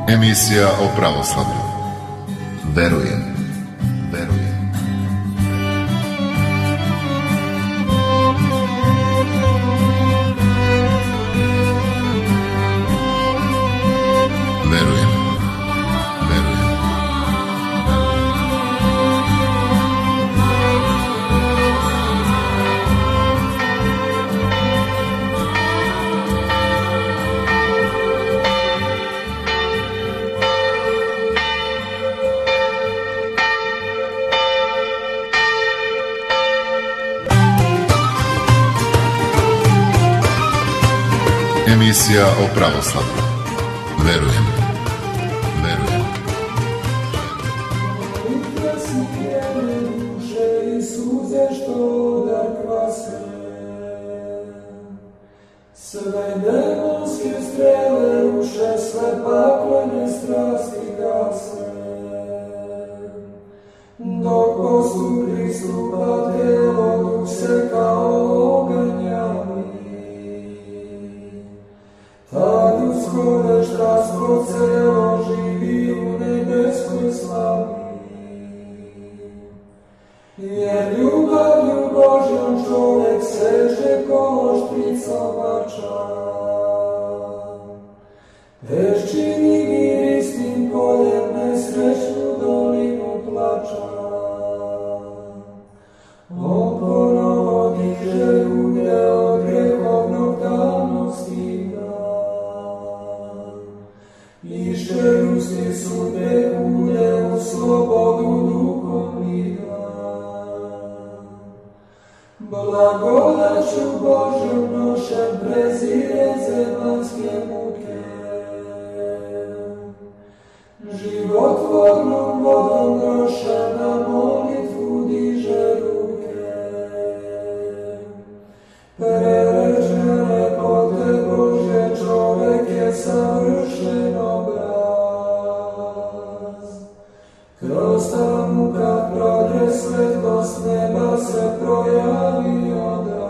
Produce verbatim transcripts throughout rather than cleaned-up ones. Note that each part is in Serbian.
Emisija o pravoslavlju. Verujem, verujem. Verujem, verujem. Emisija o pravoslavlju. Verujem, verujem. Duše i suze što dar kvase, sve demonske strele uše, sve paklene strasti gase. Dok poslu pristupa telo, duh se kao oganj javi. Ta ljudsko veštastvo celo živi u nebeskoj slavi. Jer ljubavlju Božjom čovek seže ko šprica vača. Peščini mirisnim poljem nesrećnu dolinu plača. On ponovo diže ljude od grehovnog tamnosti da. Ište ljudski sudbe ulje u slobodu duhom vida. Blagodaću Božjom nošem prezire zemaljske muke. Životvornom vodom nošem na molitvu diže ruke. Prereže lepote Božje, čovek je savršen obraz. Kroz tamu kad prodre svetlost neba se projavi odraz.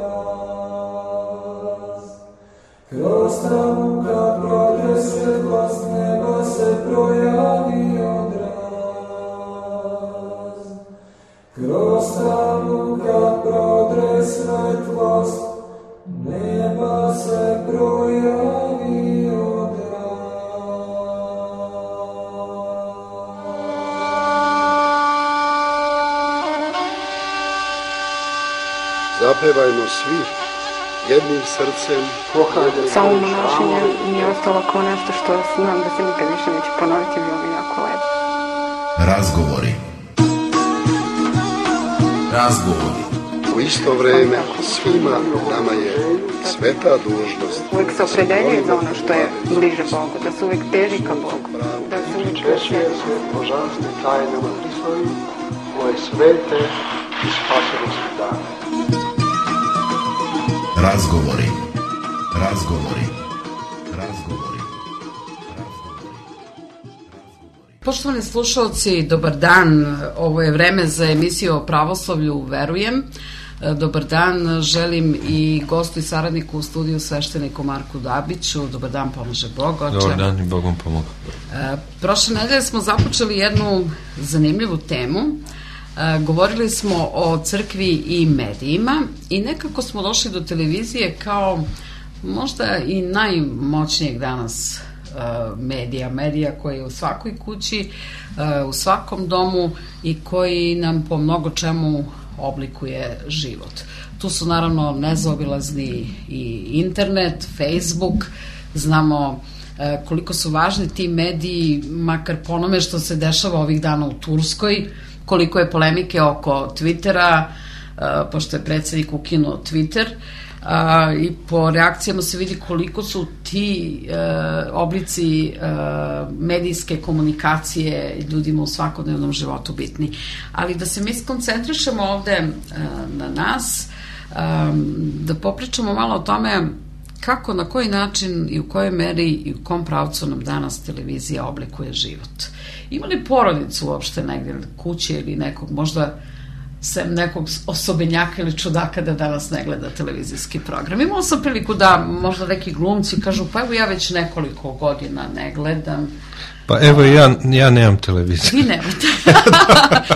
Kroz tamu kad prodre svetlost neba se projavi odraz. Kroz tamu kad prodre svetlost neba se projavi odraz. Zapevajmo svi jednim srcem. Samo monašenje mi je ostalo kao nešto što znam da se nikad više neće ponoviti, bilo mi jako lepo. Razgovori. Razgovori. U isto vreme svima nama je sveta dužnost. Uvijek se opredeljuje za ono što je bliže Bogu, da se uvijek teži ka Bogu. Da se uvijek Češuje se božanstvim tajnama Hristovim, ove svete i spasonosne dane. Razgovori. Razgovori. Razgovori. Poštovani slušalci, dobar dan. Ovo je vreme za emisiju o pravoslavlju Verujem. Dobar dan, želim i gostu i saradniku u studiju, svešteniku Marku Dabiću. Dobar dan, pomaže Bog, oče. Dobar dan i Bogom pomoga. Prošle nedelje smo započeli jednu zanimljivu temu. Govorili smo o crkvi i medijima i nekako smo došli do televizije kao možda i najmoćnijeg danas medija, medija koji je u svakoj kući, u svakom domu i koji nam po mnogo čemu oblikuje život. Tu su naravno nezaobilazni i internet, Facebook, znamo koliko su važni ti mediji, makar po onome što se dešava ovih dana u Turskoj, koliko je polemike oko Twittera, pošto je predsjednik ukinuo Twitter, i po reakcijama se vidi koliko su ti oblici medijske komunikacije ljudima u svakodnevnom životu bitni. Ali da se mi skoncentrišemo ovde na nas, da popričamo malo o tome kako, na koji način i u kojoj meri i u kom pravcu nam danas televizija oblikuje život. Ima li porodicu uopšte negdje, kuće ili nekog možda sem nekog osobenjaka ili čudaka da danas ne gleda televizijski program. Imao sam priliku da možda neki glumci kažu, pa evo ja već nekoliko godina ne gledam. Pa evo ja, ja nemam televizor. Vi nemate.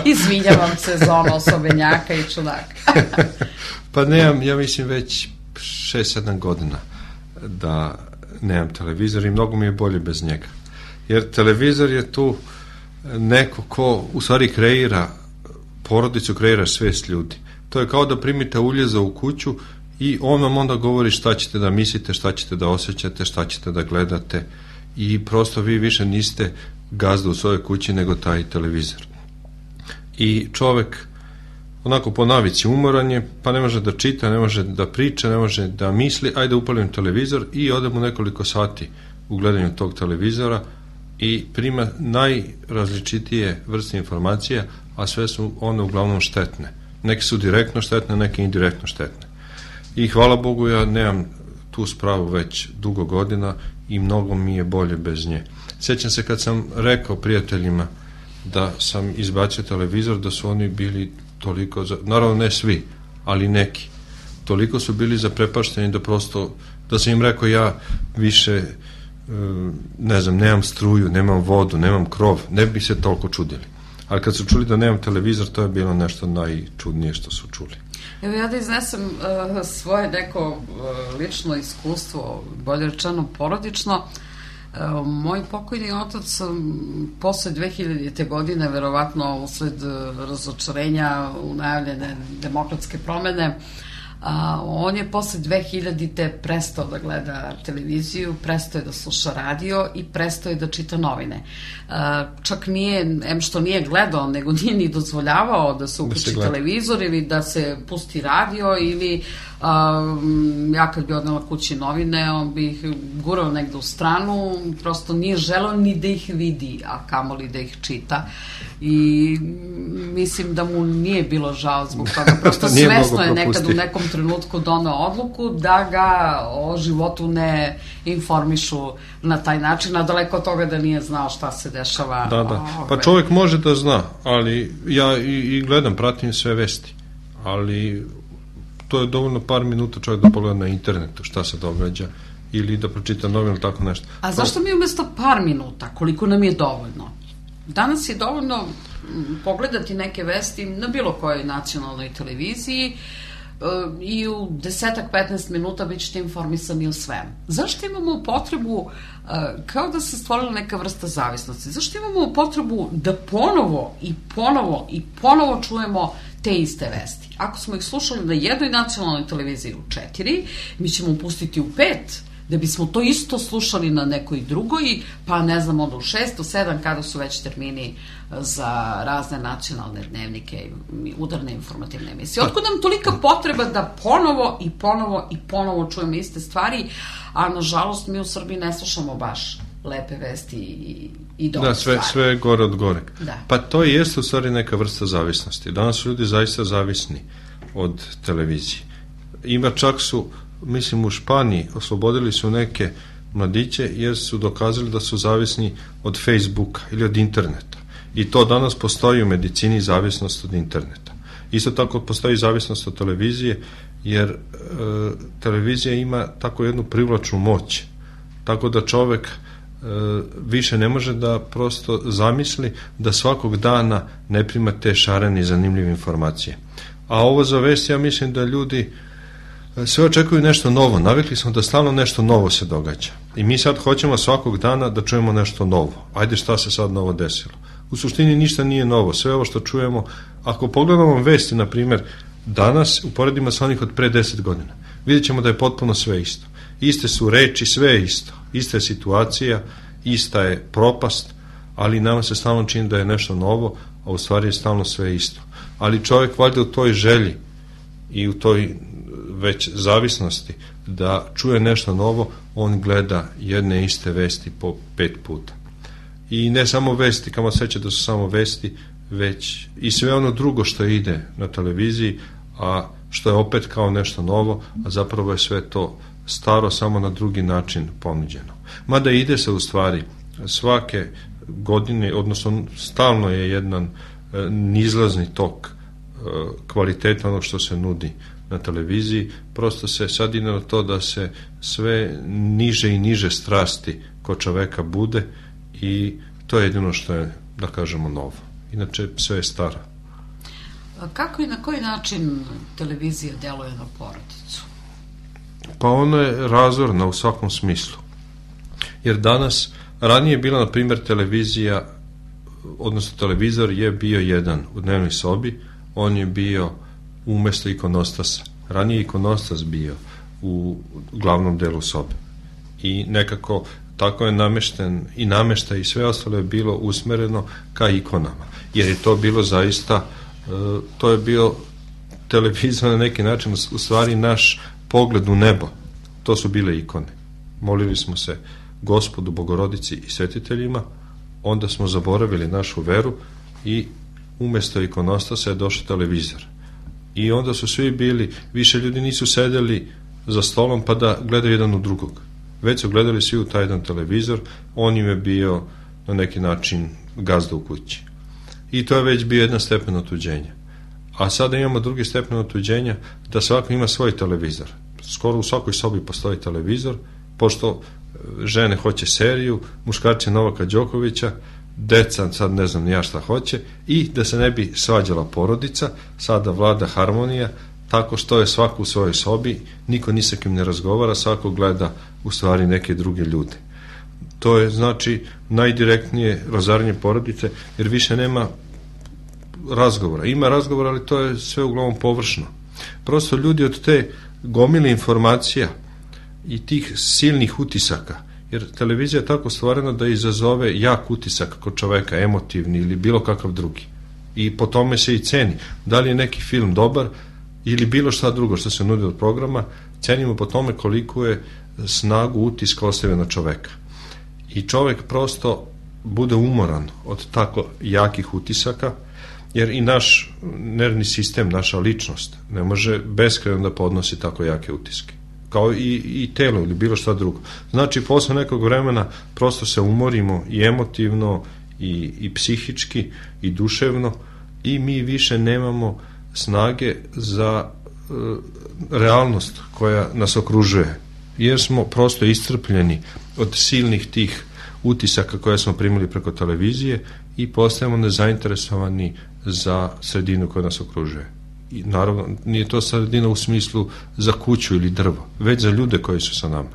Izvinjavam se za ono osobenjaka i čudaka. Pa nemam, ja mislim već šest sedam godina da nemam televizor i mnogo mi je bolje bez njega. Jer televizor je tu neko ko u stvari kreira porodicu, kreira svest ljudi. To je kao da primite uljeza u kuću i on vam onda govori šta ćete da mislite, šta ćete da osjećate, šta ćete da gledate i prosto vi više niste gazda u svojoj kući nego taj televizor. I čovek onako po navici umoran je, pa ne može da čita, ne može da priča, ne može da misli, ajde upalim televizor i odem u nekoliko sati u gledanju tog televizora i prima najrazličitije vrste informacija, a sve su one uglavnom štetne. Neke su direktno štetne, neke indirektno štetne. I hvala Bogu ja nemam tu spravu već dugo godina i mnogo mi je bolje bez nje. Sjećam se kad sam rekao prijateljima da sam izbacio televizor, da su oni bili toliko, za, naravno ne svi, ali neki, toliko su bili zaprepašteni da prosto, da sam im rekao ja više ne znam, nemam struju, nemam vodu, nemam krov, ne bi se toliko čudili. Ali kad su čuli da nemam televizor, to je bilo nešto najčudnije što su čuli. Evo ja da iznesem uh, svoje neko uh, lično iskustvo, bolje rečeno porodično. Uh, moj pokojni otac um, posle dve hiljadite godine, verovatno usled uh, razočarenja u najavljene demokratske promene, A, on je posle dve hiljadite prestao da gleda televiziju, prestao je da sluša radio i prestao je da čita novine. A, čak nije, em što nije gledao, nego nije ni dozvoljavao da se uključi da televizor ili da se pusti radio ili a, ja kad bi odnela kući novine, on bi ih gurao negde u stranu, prosto nije želeo ni da ih vidi, a kamoli da ih čita. I mislim da mu nije bilo žao zbog toga, prosto svesno je nekad u nekom trenutku doneo odluku da ga o životu ne informišu na taj način, a daleko od toga da nije znao šta se dešava. Da, da. Pa čovjek može da zna, ali ja i, i gledam, pratim sve vesti, ali to je dovoljno par minuta čovjek da pogleda na internetu šta se događa ili da pročita novinu ili tako nešto. A zašto mi umjesto par minuta, koliko nam je dovoljno? Danas je dovoljno pogledati neke vesti na bilo kojoj nacionalnoj televiziji i u desetak petnaest minuta bit ćete informisani o svemu. Zašto imamo potrebu, kao da se stvorila neka vrsta zavisnosti, zašto imamo potrebu da ponovo i ponovo i ponovo čujemo te iste vesti? Ako smo ih slušali na jednoj nacionalnoj televiziji u četiri, mi ćemo pustiti u pet, da bismo to isto slušali na nekoj drugoj, pa ne znam, onda u šest, u sedam, kada su već termini za razne nacionalne dnevnike i udarne informativne emisije. Otkud nam tolika potreba da ponovo i ponovo i ponovo čujemo iste stvari, a nažalost mi u Srbiji ne slušamo baš lepe vesti i, i dobre da, sve, stvari. Sve je gore od goreg. Da. Pa to i jeste u stvari neka vrsta zavisnosti. Danas su ljudi zaista zavisni od televizije. Ima čak su, mislim u Španiji, oslobodili su neke mladiće jer su dokazali da su zavisni od Facebooka ili od interneta. I to danas postoji u medicini, zavisnost od interneta. Isto tako postoji zavisnost od televizije, jer e, televizija ima tako jednu privlačnu moć. Tako da čovek e, više ne može da prosto zamisli da svakog dana ne prima te šarene i zanimljive informacije. A ovo za vest, ja mislim da ljudi sve očekuju nešto novo. Navikli smo da stalno nešto novo se događa. I mi sad hoćemo svakog dana da čujemo nešto novo. Ajde, šta se sad novo desilo? U suštini ništa nije novo. Sve ovo što čujemo, ako pogledamo vesti, na primjer, danas uporedimo sa onih od pre deset godina, vidjet ćemo da je potpuno sve isto. Iste su reči, sve je isto. Ista je situacija, ista je propast, ali nama se stalno čini da je nešto novo, a u stvari je stalno sve isto. Ali čovjek valjda u toj želji i u toj već zavisnosti da čuje nešto novo, on gleda jedne iste vesti po pet puta. I ne samo vesti, kamo seća da su samo vesti, već i sve ono drugo što ide na televiziji, a što je opet kao nešto novo, a zapravo je sve to staro, samo na drugi način ponuđeno. Mada ide se u stvari svake godine, odnosno stalno je jedan e, nizlazni tok e, kvaliteta onog što se nudi na televiziji. Prosto se sad ide na to da se sve niže i niže strasti kod čoveka bude i to je jedino što je, da kažemo, novo. Inače sve je staro. Kako i na koji način televizija djeluje na porodicu? Pa ona je razorna u svakom smislu. Jer danas, ranije je bila, na primjer, televizija, odnosno televizor je bio jedan u dnevnoj sobi, on je bio umjesto ikonostasa. Ranije je ikonostas bio u glavnom delu sobe. I nekako tako je namešten i namješta i sve ostalo je bilo usmereno ka ikonama. Jer je to bilo zaista, to je bio televizor na neki način, u stvari naš pogled u nebo. To su bile ikone. Molili smo se Gospodu, Bogorodici i svetiteljima, onda smo zaboravili našu veru i umjesto ikonostasa je došao televizor. I onda su svi bili, više ljudi nisu sedeli za stolom pa da gledaju jedan u drugog. Već su gledali svi u taj jedan televizor, on im je bio na neki način gazda u kući. I to je već bio jedan stepen otuđenja. A sada imamo drugi stepen otuđenja, da svako ima svoj televizor. Skoro u svakoj sobi postoji televizor, pošto žene hoće seriju, muškarci Novaka Đokovića, deca sad ne znam ni ja šta hoće, i da se ne bi svađala porodica, sada vlada harmonija, tako što je svako u svojoj sobi, niko ni sa kim ne razgovara, svako gleda u stvari neke druge ljude. To je znači najdirektnije razaranje porodice, jer više nema razgovora. Ima razgovora, ali to je sve uglavnom površno. Prosto ljudi od te gomile informacija i tih silnih utisaka, jer televizija je tako stvorena da izazove jak utisak kod čoveka, emotivni ili bilo kakav drugi. I po tome se i ceni. Da li je neki film dobar ili bilo šta drugo što se nudi od programa, cenimo po tome koliko je snagu utiska ostavio na čoveka. I čovek prosto bude umoran od tako jakih utisaka, jer i naš nervni sistem, naša ličnost ne može beskrajno da podnosi tako jake utiske, kao i, i telo ili bilo šta drugo. Znači posle nekog vremena prosto se umorimo i emotivno i, i psihički i duševno i mi više nemamo snage za e, realnost koja nas okružuje, jer smo prosto iscrpljeni od silnih tih utisaka koje smo primili preko televizije i postajemo nezainteresovani za sredinu koja nas okružuje. I naravno nije to sredina u smislu za kuću ili drvo, već za ljude koji su sa nama.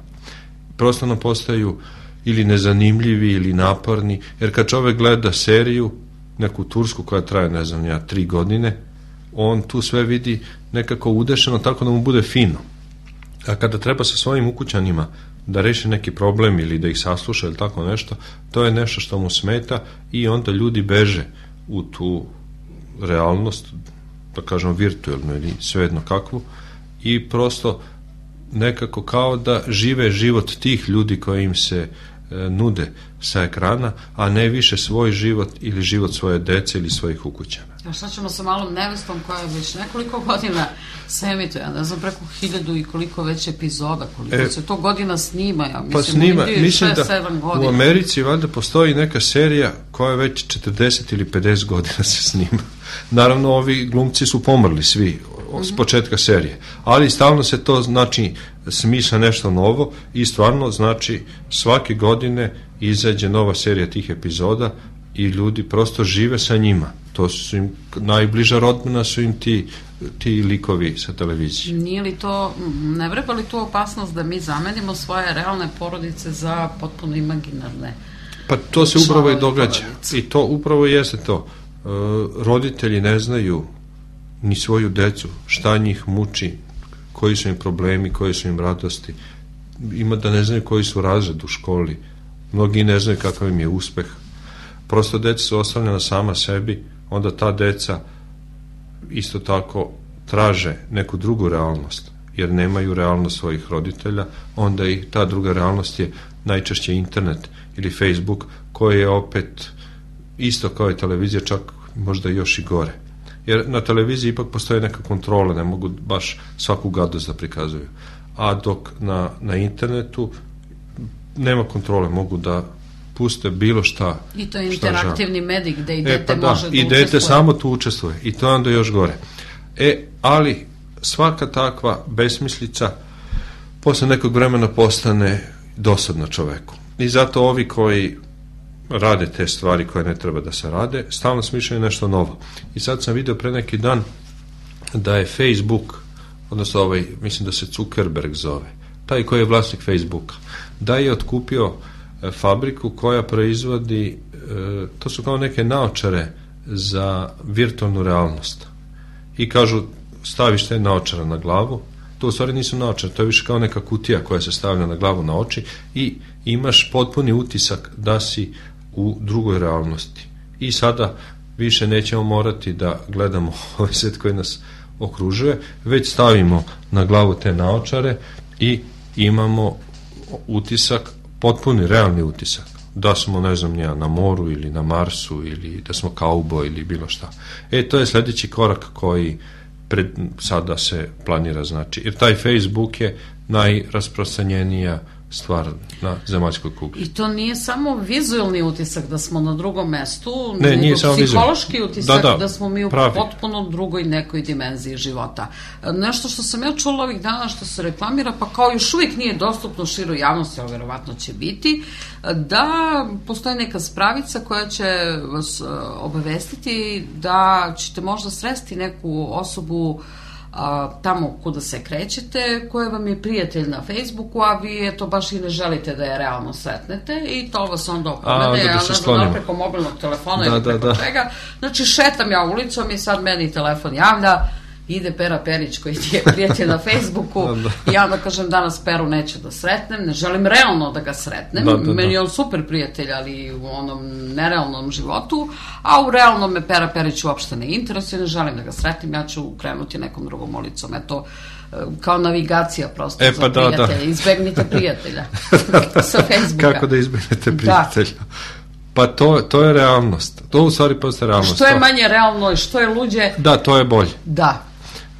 Prosto nam postaju ili nezanimljivi ili naporni, jer kad čovek gleda seriju, neku tursku koja traje, ne znam ja, tri godine, on tu sve vidi nekako udešeno tako da mu bude fino. A kada treba sa svojim ukućanima da reši neki problem ili da ih sasluša ili tako nešto, to je nešto što mu smeta i onda ljudi beže u tu realnost, da kažem virtualnu ili svejedno kakvu, i prosto nekako kao da žive život tih ljudi koji im se e, nude sa ekrana, a ne više svoj život ili život svoje dece ili svojih ukućana. A šta ćemo sa malom nevestom koja je već nekoliko godina se emituje, ja ne znam, preko hiljadu i koliko već epizoda, koliko e, se to godina snima, ja mislim, pa snima, u mislim šest sedam da godina. U Americi valjda postoji neka serija koja već četrdeset ili pedeset godina se snima. Naravno, ovi glumci su pomrli svi s početka serije, ali stalno se to znači smišlja nešto novo i stvarno znači svake godine izađe nova serija tih epizoda i ljudi prosto žive sa njima. To su im najbliža rodbina, su im ti, ti likovi sa televizije. Nije li to, ne vreba li tu opasnost da mi zamenimo svoje realne porodice za potpuno imaginarne? Pa to se upravo i događa. I to upravo jeste to. E, roditelji ne znaju ni svoju decu, šta njih muči, koji su im problemi, koji su im radosti. Ima da ne znaju koji su razred u školi. Mnogi ne znaju kakav im je uspeh. Prosto deca su ostavljena sama sebi, onda ta deca isto tako traže neku drugu realnost, jer nemaju realnost svojih roditelja, onda i ta druga realnost je najčešće internet ili Facebook, koji je opet isto kao i televizija, čak možda još i gore. Jer na televiziji ipak postoje neka kontrola, ne mogu baš svaku gadost da prikazuju. A dok na, na internetu nema kontrole, mogu da puste bilo šta. I to je šta interaktivni žele. medij gde i E, dete pa da, može da i dete učestvuje. samo tu učestvuje i to je onda još gore. E, ali svaka takva besmislica posle nekog vremena postane dosadna čoveku. I zato ovi koji rade te stvari koje ne treba da se rade, stalno smišljaju nešto novo. I sad sam video pre neki dan da je Facebook, odnosno ovaj, mislim da se Zuckerberg zove, taj koji je vlasnik Facebooka, da je otkupio e, fabriku koja proizvodi, e, to su kao neke naočare za virtualnu realnost. I kažu, staviš te naočare na glavu, to u stvari nisu naočare, to je više kao neka kutija koja se stavlja na glavu na oči i imaš potpuni utisak da si u drugoj realnosti. I sada više nećemo morati da gledamo ovaj svet koji nas okružuje, već stavimo na glavu te naočare i imamo utisak, potpuni realni utisak, da smo, ne znam nija, na moru ili na Marsu ili da smo kauboj ili bilo šta. E, to je sledeći korak koji pred, sada se planira, znači, jer taj Facebook je najrasprostranjenija stvar na zemaljskoj kugli. I to nije samo vizualni utisak da smo na drugom mestu, ne, nego nije samo psihološki vizualni utisak da, da, da smo mi u pravi. potpuno drugoj nekoj dimenziji života. Nešto što sam ja čula ovih dana što se reklamira, pa kao još uvijek nije dostupno široj javnosti, ali verovatno će biti, da postoji neka spravica koja će vas obavestiti da ćete možda sresti neku osobu a, tamo kuda se krećete, koja vam je prijatelj na Facebooku, a vi eto baš i ne želite da je realno sretnete i to vas onda opomene, ja ne znam, preko mobilnog telefona da, ili preko da, čega. Znači, šetam ja ulicom i sad meni telefon javlja, ide Pera Perić koji ti je prijatelj na Facebooku da, da. I ja onda kažem danas Peru neću da sretnem, ne želim realno da ga sretnem, da, da, da. Meni je on super prijatelj, ali u onom nerealnom životu, a u realnom me Pera Perić uopšte ne interesuje, ne želim da ga sretnem, ja ću krenuti nekom drugom ulicom, eto, kao navigacija prosto e, pa za da, prijatelja, da. Izbegnite prijatelja sa Facebooka. Kako da izbegnete prijatelja? Da. Pa to, to je realnost. To u stvari postaje realnost. Što je manje realno i što je luđe... Da, to je bolje. Da.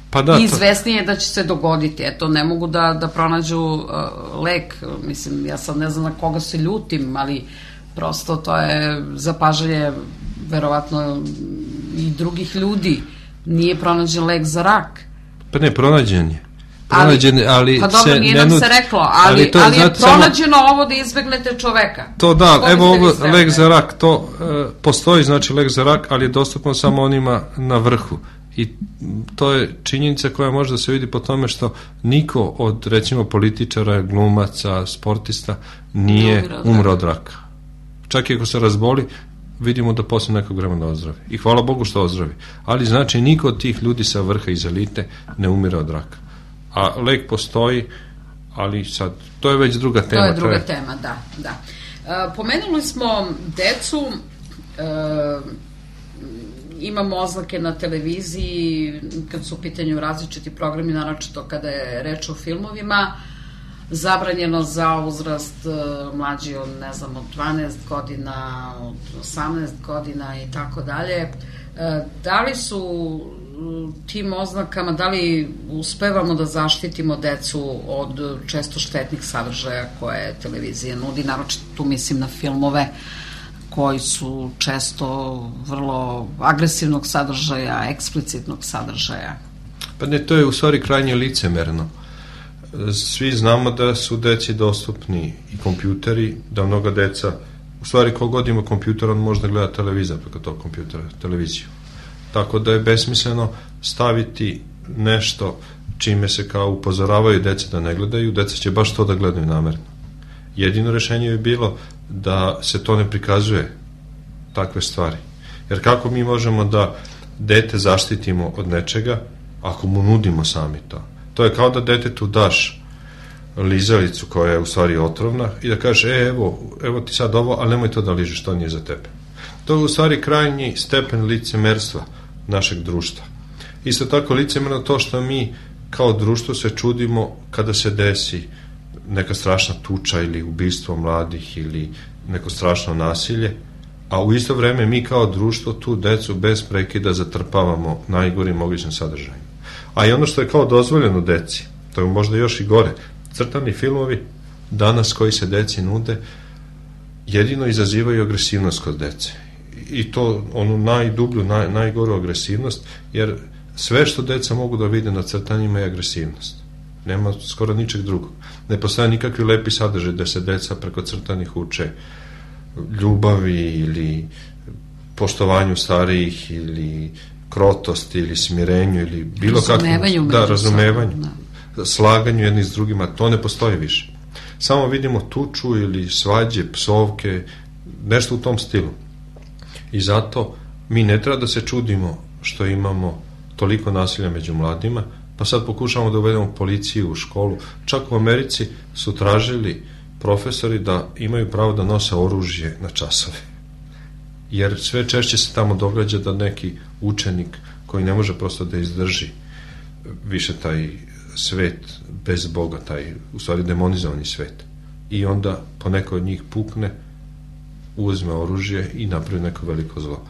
Pa da, I izvesnije je da će se dogoditi. Eto, ne mogu da, da pronađu uh, lek. Mislim, ja sad ne znam na koga se ljutim, ali prosto to je zapažanje verovatno i drugih ljudi. Nije pronađen lek za rak. Pa ne, pronađen je. Pronađen, ali, ali pa dobro, nije nam nud... se reklo, ali, ali, to, ali je pronađeno samo... ovo da izbegnete čoveka. To da, to evo ovo, lek za rak, to uh, postoji, znači lek za rak, ali je dostupno samo onima na vrhu. I to je činjenica koja može da se vidi po tome što niko od, recimo, političara, glumaca, sportista nije umro od raka. Čak i ako se razboli, vidimo da posle nekog vremena ozdravi. I hvala Bogu što ozdravi. Ali znači niko od tih ljudi sa vrha iz elite ne umire od raka. A lek postoji, ali sad, to je već druga tema. To je druga je... tema, da, da. E, pomenuli smo decu, e, imamo oznake na televiziji kad su u pitanju različiti programi, naročito kada je reč o filmovima, zabranjeno za uzrast mlađi od, ne znam, od dvanaest godina, od osamnaest godina i tako dalje. Da li su tim oznakama, da li uspevamo da zaštitimo decu od često štetnih sadržaja koje televizija nudi, naročito tu mislim na filmove koji su često vrlo agresivnog sadržaja, eksplicitnog sadržaja? Pa ne, to je u stvari krajnje licemerno. Svi znamo da su deci dostupni i kompjuteri, da mnoga deca, u stvari kogod ima kompjuter, on može da gleda televizor preko tog kompjutera, televiziju. Tako da je besmisleno staviti nešto čime se kao upozoravaju deca da ne gledaju, deca će baš to da gledaju namerno. Jedino rešenje bi bilo da se to ne prikazuje, takve stvari. Jer kako mi možemo da dete zaštitimo od nečega ako mu nudimo sami to? To je kao da detetu daš lizalicu koja je u stvari otrovna i da kažeš, e, evo, evo ti sad ovo, ali nemoj to da ližeš, to nije za tebe. To je u stvari krajnji stepen licemerstva našeg društva. Isto tako licemerno to što mi kao društvo se čudimo kada se desi neka strašna tuča ili ubistvo mladih ili neko strašno nasilje, a u isto vreme mi kao društvo tu decu bez prekida zatrpavamo najgorim mogućim sadržajima. A i ono što je kao dozvoljeno deci, to je možda još i gore, crtani filmovi danas koji se deci nude jedino izazivaju agresivnost kod dece. I to onu najdublju, naj, najgoru agresivnost, jer sve što deca mogu da vide na crtanjima je agresivnost. Nema skoro ničeg drugog. Ne postoje nikakvi lepi sadržaj da se deca preko crtanih uče ljubavi ili poštovanju starijih ili krotosti ili smirenju ili bilo kakvom, da, razumevanju, da. slaganju jedni s drugima, to ne postoji više. Samo vidimo tuču ili svađe, psovke, nešto u tom stilu. I zato mi ne treba da se čudimo što imamo toliko nasilja među mladima, pa sad pokušamo da uvedemo policiju u školu. Čak u Americi su tražili profesori da imaju pravo da nose oružje na časove. Jer sve češće se tamo događa da neki učenik koji ne može prosto da izdrži više taj svet bez Boga, taj u stvari demonizovani svet. I onda po neko od njih pukne, uzme oružje i napravi neko veliko zlo.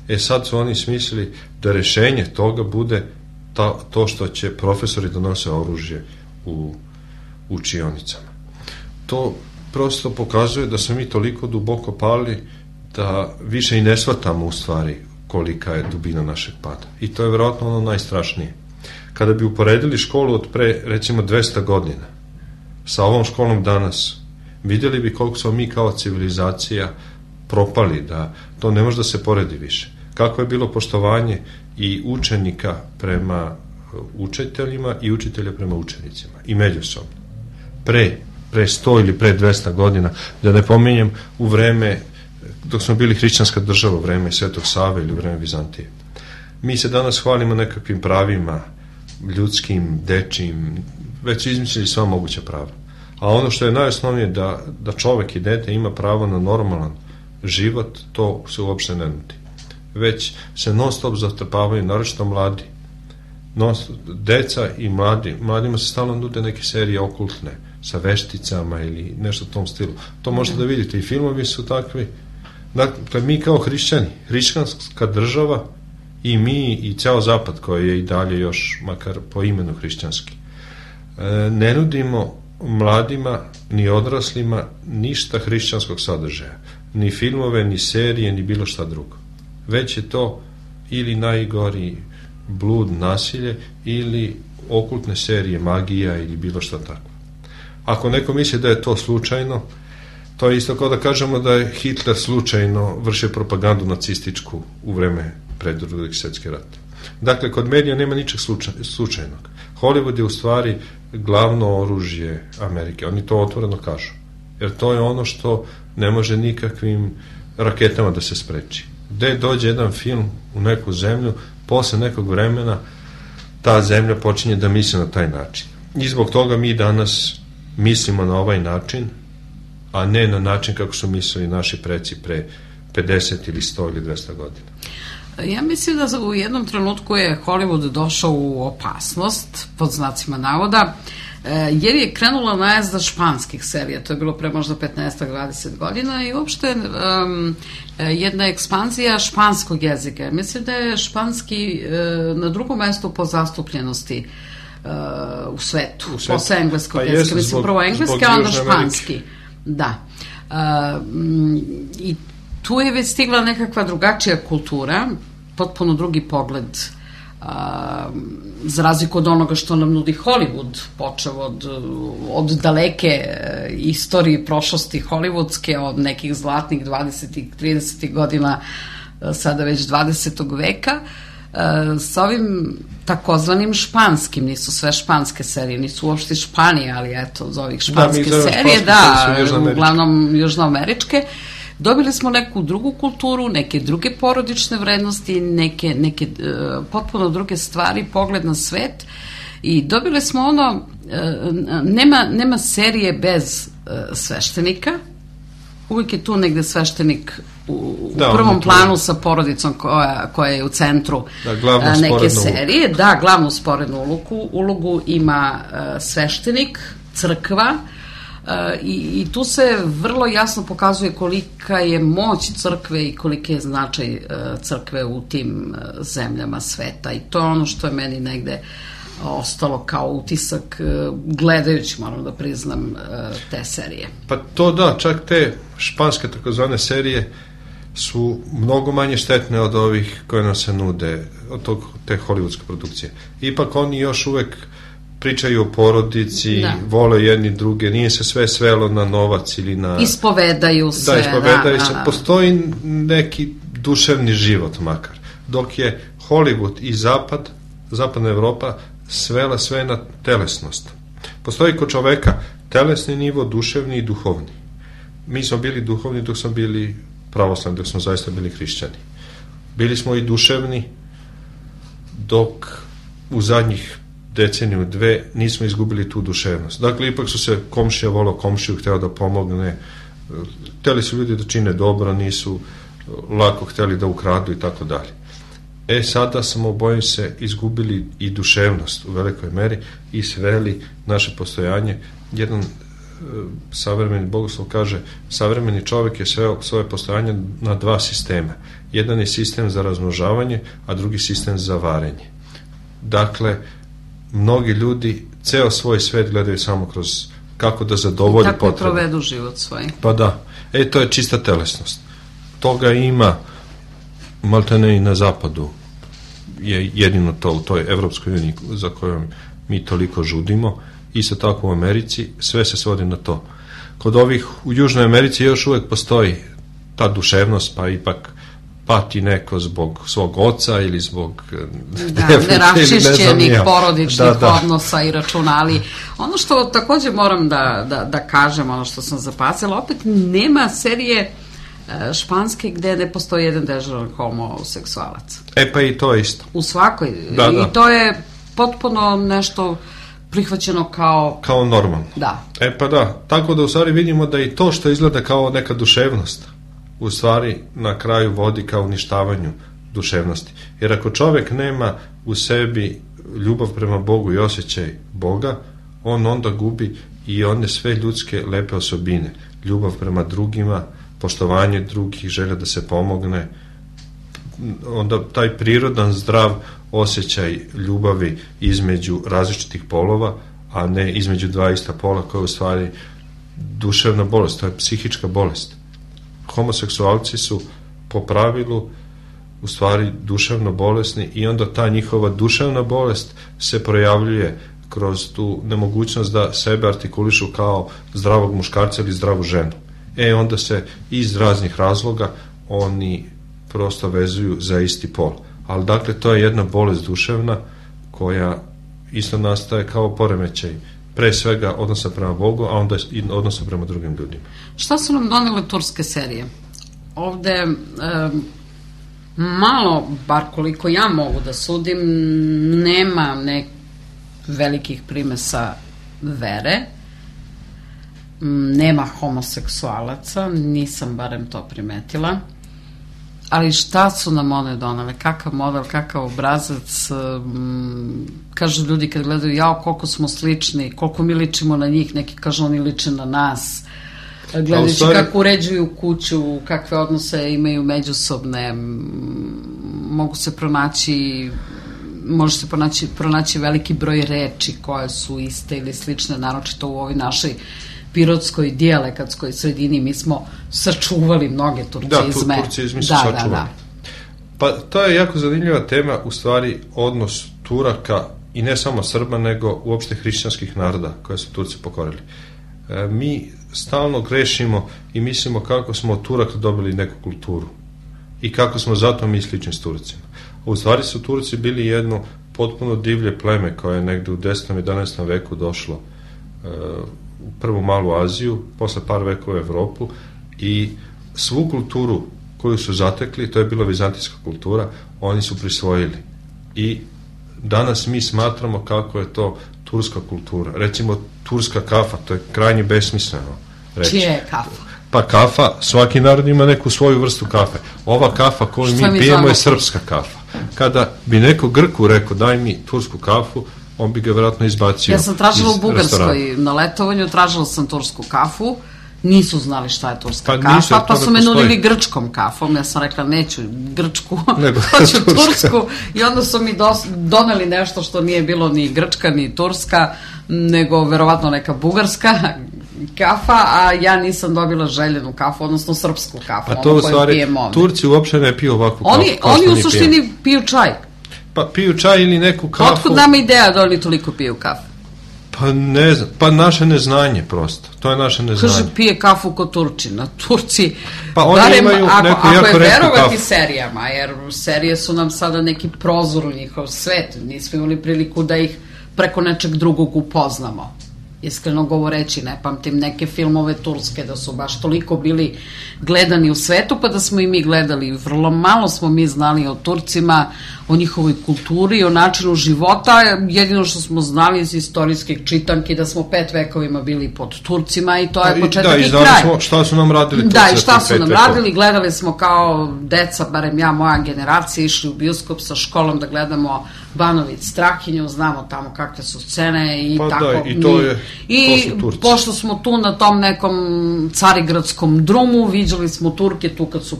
E sad su oni smislili da rešenje toga bude ta, to što će profesori da nose oružje u učionicama. To prosto pokazuje da smo mi toliko duboko pali da više i ne shvatamo u stvari kolika je dubina našeg pada. I to je verovatno ono najstrašnije. Kada bi uporedili školu od pre, recimo, dvesta godina sa ovom školom danas, vidjeli bi koliko smo mi kao civilizacija propali, da to ne može da se poredi više. Kako je bilo poštovanje i učenika prema učiteljima i učitelja prema učenicima i međusobno. Pre, pre sto ili pre dvesta godina, da ne pominjem u vreme dok smo bili hrišćanska država, u vreme Svetog Save ili u vreme Vizantije. Mi se danas hvalimo nekakvim pravima, ljudskim, dečijim, već su izmislili sva moguća prava. A ono što je najosnovnije da, da čovek i dete ima pravo na normalan život, to se uopšte ne nudi. Već se non stop zatrpavaju, naročito mladi. Non, deca i mladi, mladima se stalno nude neke serije okultne, sa vešticama ili nešto u tom stilu. To možete da vidite, i filmovi su takvi. Dakle, mi kao hrišćani, hrišćanska država, i mi i ceo zapad koji je i dalje još, makar po imenu hrišćanski, ne nudimo mladima ni odraslima ništa hrišćanskog sadržaja, ni filmove, ni serije, ni bilo šta drugo. Već je to ili najgori blud, nasilje, ili okultne serije, magija ili bilo šta tako. Ako neko misli da je to slučajno, to je isto kao da kažemo da je Hitler slučajno vršio propagandu nacističku u vreme pred Drugog svjetskog rata. Dakle, kod medija nema ničeg slučajnog. Hollywood je u stvari glavno oružje Amerike. Oni to otvoreno kažu. Jer to je ono što ne može nikakvim raketama da se spreči. Gde dođe jedan film u neku zemlju, posle nekog vremena ta zemlja počinje da misli na taj način. I zbog toga mi danas mislimo na ovaj način, a ne na način kako su mislili naši preci pre pedeset ili sto ili dvesta godina. Ja mislim da u jednom trenutku je Hollywood došao u opasnost, pod znacima navoda, jer je krenula najezda španskih serija, to je bilo pre možda petnaest do dvadeset godina, i uopšte um, jedna ekspanzija španskog jezika. Mislim da je španski uh, na drugom mestu po zastupljenosti uh, u svetu, u svetu. Posle engleskog pa jezika. Mislim, prvo engleski, a onda španski. Da. Uh, I tu je već stigla nekakva drugačija kultura, potpuno drugi pogled, a, za razliku od onoga što nam nudi Hollywood, počeo od, od daleke e, istorije prošlosti hollywoodske, od nekih zlatnih dvadesetih, tridesetih godina, e, sada već dvadesetog veka, e, sa ovim takozvanim španskim, nisu sve španske serije, nisu uopšte Španije, ali eto, za ovih španske da, serije, da, uglavnom južnoameričke. Dobili smo neku drugu kulturu, neke druge porodične vrednosti, neke, neke uh, potpuno druge stvari, pogled na svet, i dobili smo ono, uh, nema, nema serije bez uh, sveštenika, uvijek je tu negde sveštenik u, u da, prvom planu sa porodicom koja, koja je u centru da, uh, neke serije. Ulogu. Da, glavnu sporednu ulogu, ulogu ima uh, sveštenik, crkva, Uh, i, i tu se vrlo jasno pokazuje kolika je moć crkve i koliki je značaj uh, crkve u tim uh, zemljama sveta, i to je ono što je meni negde ostalo kao utisak gledajući, moram da priznam, te serije. Pa to da, čak te španske takozvane serije su mnogo manje štetne od ovih koje nam se nude, od tog, te hollywoodske produkcije. Ipak oni još uvek pričaju o porodici, da. Vole jedni druge, nije se sve svelo na novac ili na... Ispovedaju se. Da, ispovedaju da, se. Da, da. Postoji neki duševni život makar. Dok je Hollywood i Zapad, Zapadna Evropa, svela sve na telesnost. Postoji kod čoveka telesni nivo, duševni i duhovni. Mi smo bili duhovni dok smo bili pravoslavni, dok smo zaista bili hrišćani. Bili smo i duševni dok u zadnjih deceniju, dve, nismo izgubili tu duševnost. Dakle, ipak su se komšija volao komšiju, hteo da pomogne, hteli su ljudi da čine dobro, nisu lako hteli da ukradu i tako dalje. E, sada smo, bojim se, izgubili i duševnost u velikoj meri i sveli naše postojanje. Jedan e, savremeni bogoslov kaže, savremeni čovjek je sveo svoje postojanje na dva sistema. Jedan je sistem za razmnožavanje, a drugi sistem za varenje. Dakle, mnogi ljudi ceo svoj svet gledaju samo kroz kako da zadovolje potrebe. Tako provedu život svoj. Pa da. E, to je čista telesnost. Toga ima maltene i na zapadu. Je jedino to u toj Evropskoj uniji za kojom mi toliko žudimo. Isto tako u Americi. Sve se svodi na to. Kod ovih u Južnoj Americi još uvek postoji ta duševnost, pa ipak pati neko zbog svog oca ili zbog da, neraščišćenih ne porodičnih da, da. odnosa i računa, ali ono što takođe moram da, da, da kažem, ono što sam zapazila, opet nema serije španske gde ne postoji jedan dežuran homoseksualac. E pa i to je isto. U svakoj. Da, da. I to je potpuno nešto prihvaćeno kao... Kao normalno. Da. E pa da, tako da u stvari vidimo da i to što izgleda kao neka duševnost u stvari na kraju vodi ka uništavanju duševnosti. Jer ako čovjek nema u sebi ljubav prema Bogu i osjećaj Boga, on onda gubi i one sve ljudske lepe osobine. Ljubav prema drugima, poštovanje drugih, želja da se pomogne, onda taj prirodan zdrav osjećaj ljubavi između različitih polova, a ne između dva ista pola, koja je u stvari duševna bolest, to je psihička bolest. Homoseksualci su po pravilu u stvari duševno bolesni i onda ta njihova duševna bolest se projavljuje kroz tu nemogućnost da sebe artikulišu kao zdravog muškarca ili zdravu ženu. E onda se iz raznih razloga oni prosto vezuju za isti pol. Ali dakle to je jedna bolest duševna koja isto nastaje kao poremećaj pre svega odnosa prema Bogu, a onda i odnosa prema drugim ljudima. Šta su nam donele turske serije? Ovde e, malo, bar koliko ja mogu da sudim, nema nek velikih primesa vere, nema homoseksualaca, nisam barem to primetila, ali šta su nam one donale, kakav model, kakav obrazac, um, kažu ljudi kad gledaju, jao koliko smo slični, koliko mi ličimo na njih, neki kažu oni liče na nas, gledajući stvari... kako uređuju kuću, kakve odnose imaju međusobne, mogu se pronaći može se pronaći, pronaći veliki broj reči koje su iste ili slične, naročito u ovoj našoj pirotskoj dijalekatskoj sredini. Mi smo sačuvali mnoge turcizme. Da, turcizmi su da, sačuvali. Da, da. Pa to je jako zanimljiva tema, u stvari odnos Turaka i ne samo Srba, nego uopšte hrišćanskih naroda koje su Turci pokorili. E, mi stalno grešimo i mislimo kako smo od Turaka dobili neku kulturu i kako smo zato mi slični s Turcima. U stvari su Turci bili jedno potpuno divlje pleme koje je negde u desetom i jedanaestom veku došlo e, u prvu malu Aziju, posle par vekova u Evropu, i svu kulturu koju su zatekli, to je bila vizantijska kultura, oni su prisvojili. I danas mi smatramo kako je to turska kultura. Recimo, turska kafa, to je krajnje besmisleno reći. Čije je kafa? Pa kafa, svaki narod ima neku svoju vrstu kafe. Ova kafa koju mi, mi pijemo je srpska kafa. Kada bi neko Grku rekao daj mi tursku kafu, on bi ga vjerojatno izbacio. Ja sam tražila u Bugarskoj na letovanju, tražila sam tursku kafu nisu znali šta je turska Pa kafa, nisu, jer to pa ne su me postoji. nudili grčkom kafom, ja sam rekla neću grčku, Nego hoću turska. tursku, i onda su mi dos, doneli nešto što nije bilo ni grčka, ni turska, nego verovatno neka bugarska kafa, a ja nisam dobila željenu kafu, odnosno srpsku kafu, Pa to ono u koju stvari, pijem ovde. Turci uopće ne piju ovakvu kafu. Oni, kao oni što u mi suštini pijemo. piju čaj. Pa piju čaj ili neku kafu. Otkud nama ideja da oni toliko piju kafu? Pa ne znam, pa naše neznanje prosto. To je naše neznanje. Kaže, pije kafu kod Turčina. Turci, Pa oni barem imaju ako, neku ako jako je retku verovati kafu. serijama, jer serije su nam sada neki prozor u njihov svet. Nismo imali priliku da ih preko nečeg drugog upoznamo. Iskreno govoreći, ne pamtim neke filmove turske da su baš toliko bili gledani u svetu, pa da smo i mi gledali. Vrlo malo smo mi znali o Turcima, o njihovoj kulturi, o načinu života. Jedino što smo znali iz istorijskih čitanki da smo pet vekovima bili pod Turcima i to je početak da, i i znali kraj. smo šta su nam radili Turci. Da, i za šta tih su pet nam vekova. radili, gledali smo kao deca, barem ja, moja generacija, išli u bioskop sa školom da gledamo Banović Strahinju, znamo tamo kakve su scene i Pa tako. da, i to je- I to su Turci. pošto smo tu na tom nekom carigradskom drumu, viđali smo Turke tu kad su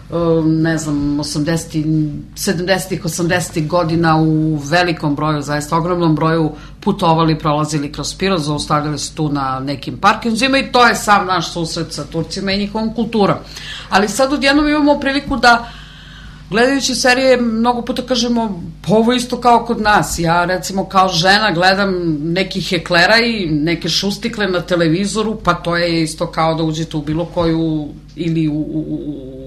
um, ne znam, osamdesetih, sedamdesetih, osamdesetih godina u velikom broju, zaista ogromnom broju putovali, prolazili kroz Pirot, zaustavljali se tu na nekim parkinzima i to je sam naš susret sa Turcima i njihovom kulturom. Ali sad odjednom imamo priliku da gledajući serije, mnogo puta kažemo, pa ovo isto kao kod nas. Ja, recimo, kao žena gledam neki heklera i neke šustikle na televizoru, pa to je isto kao da uđete u bilo koju ili u, u,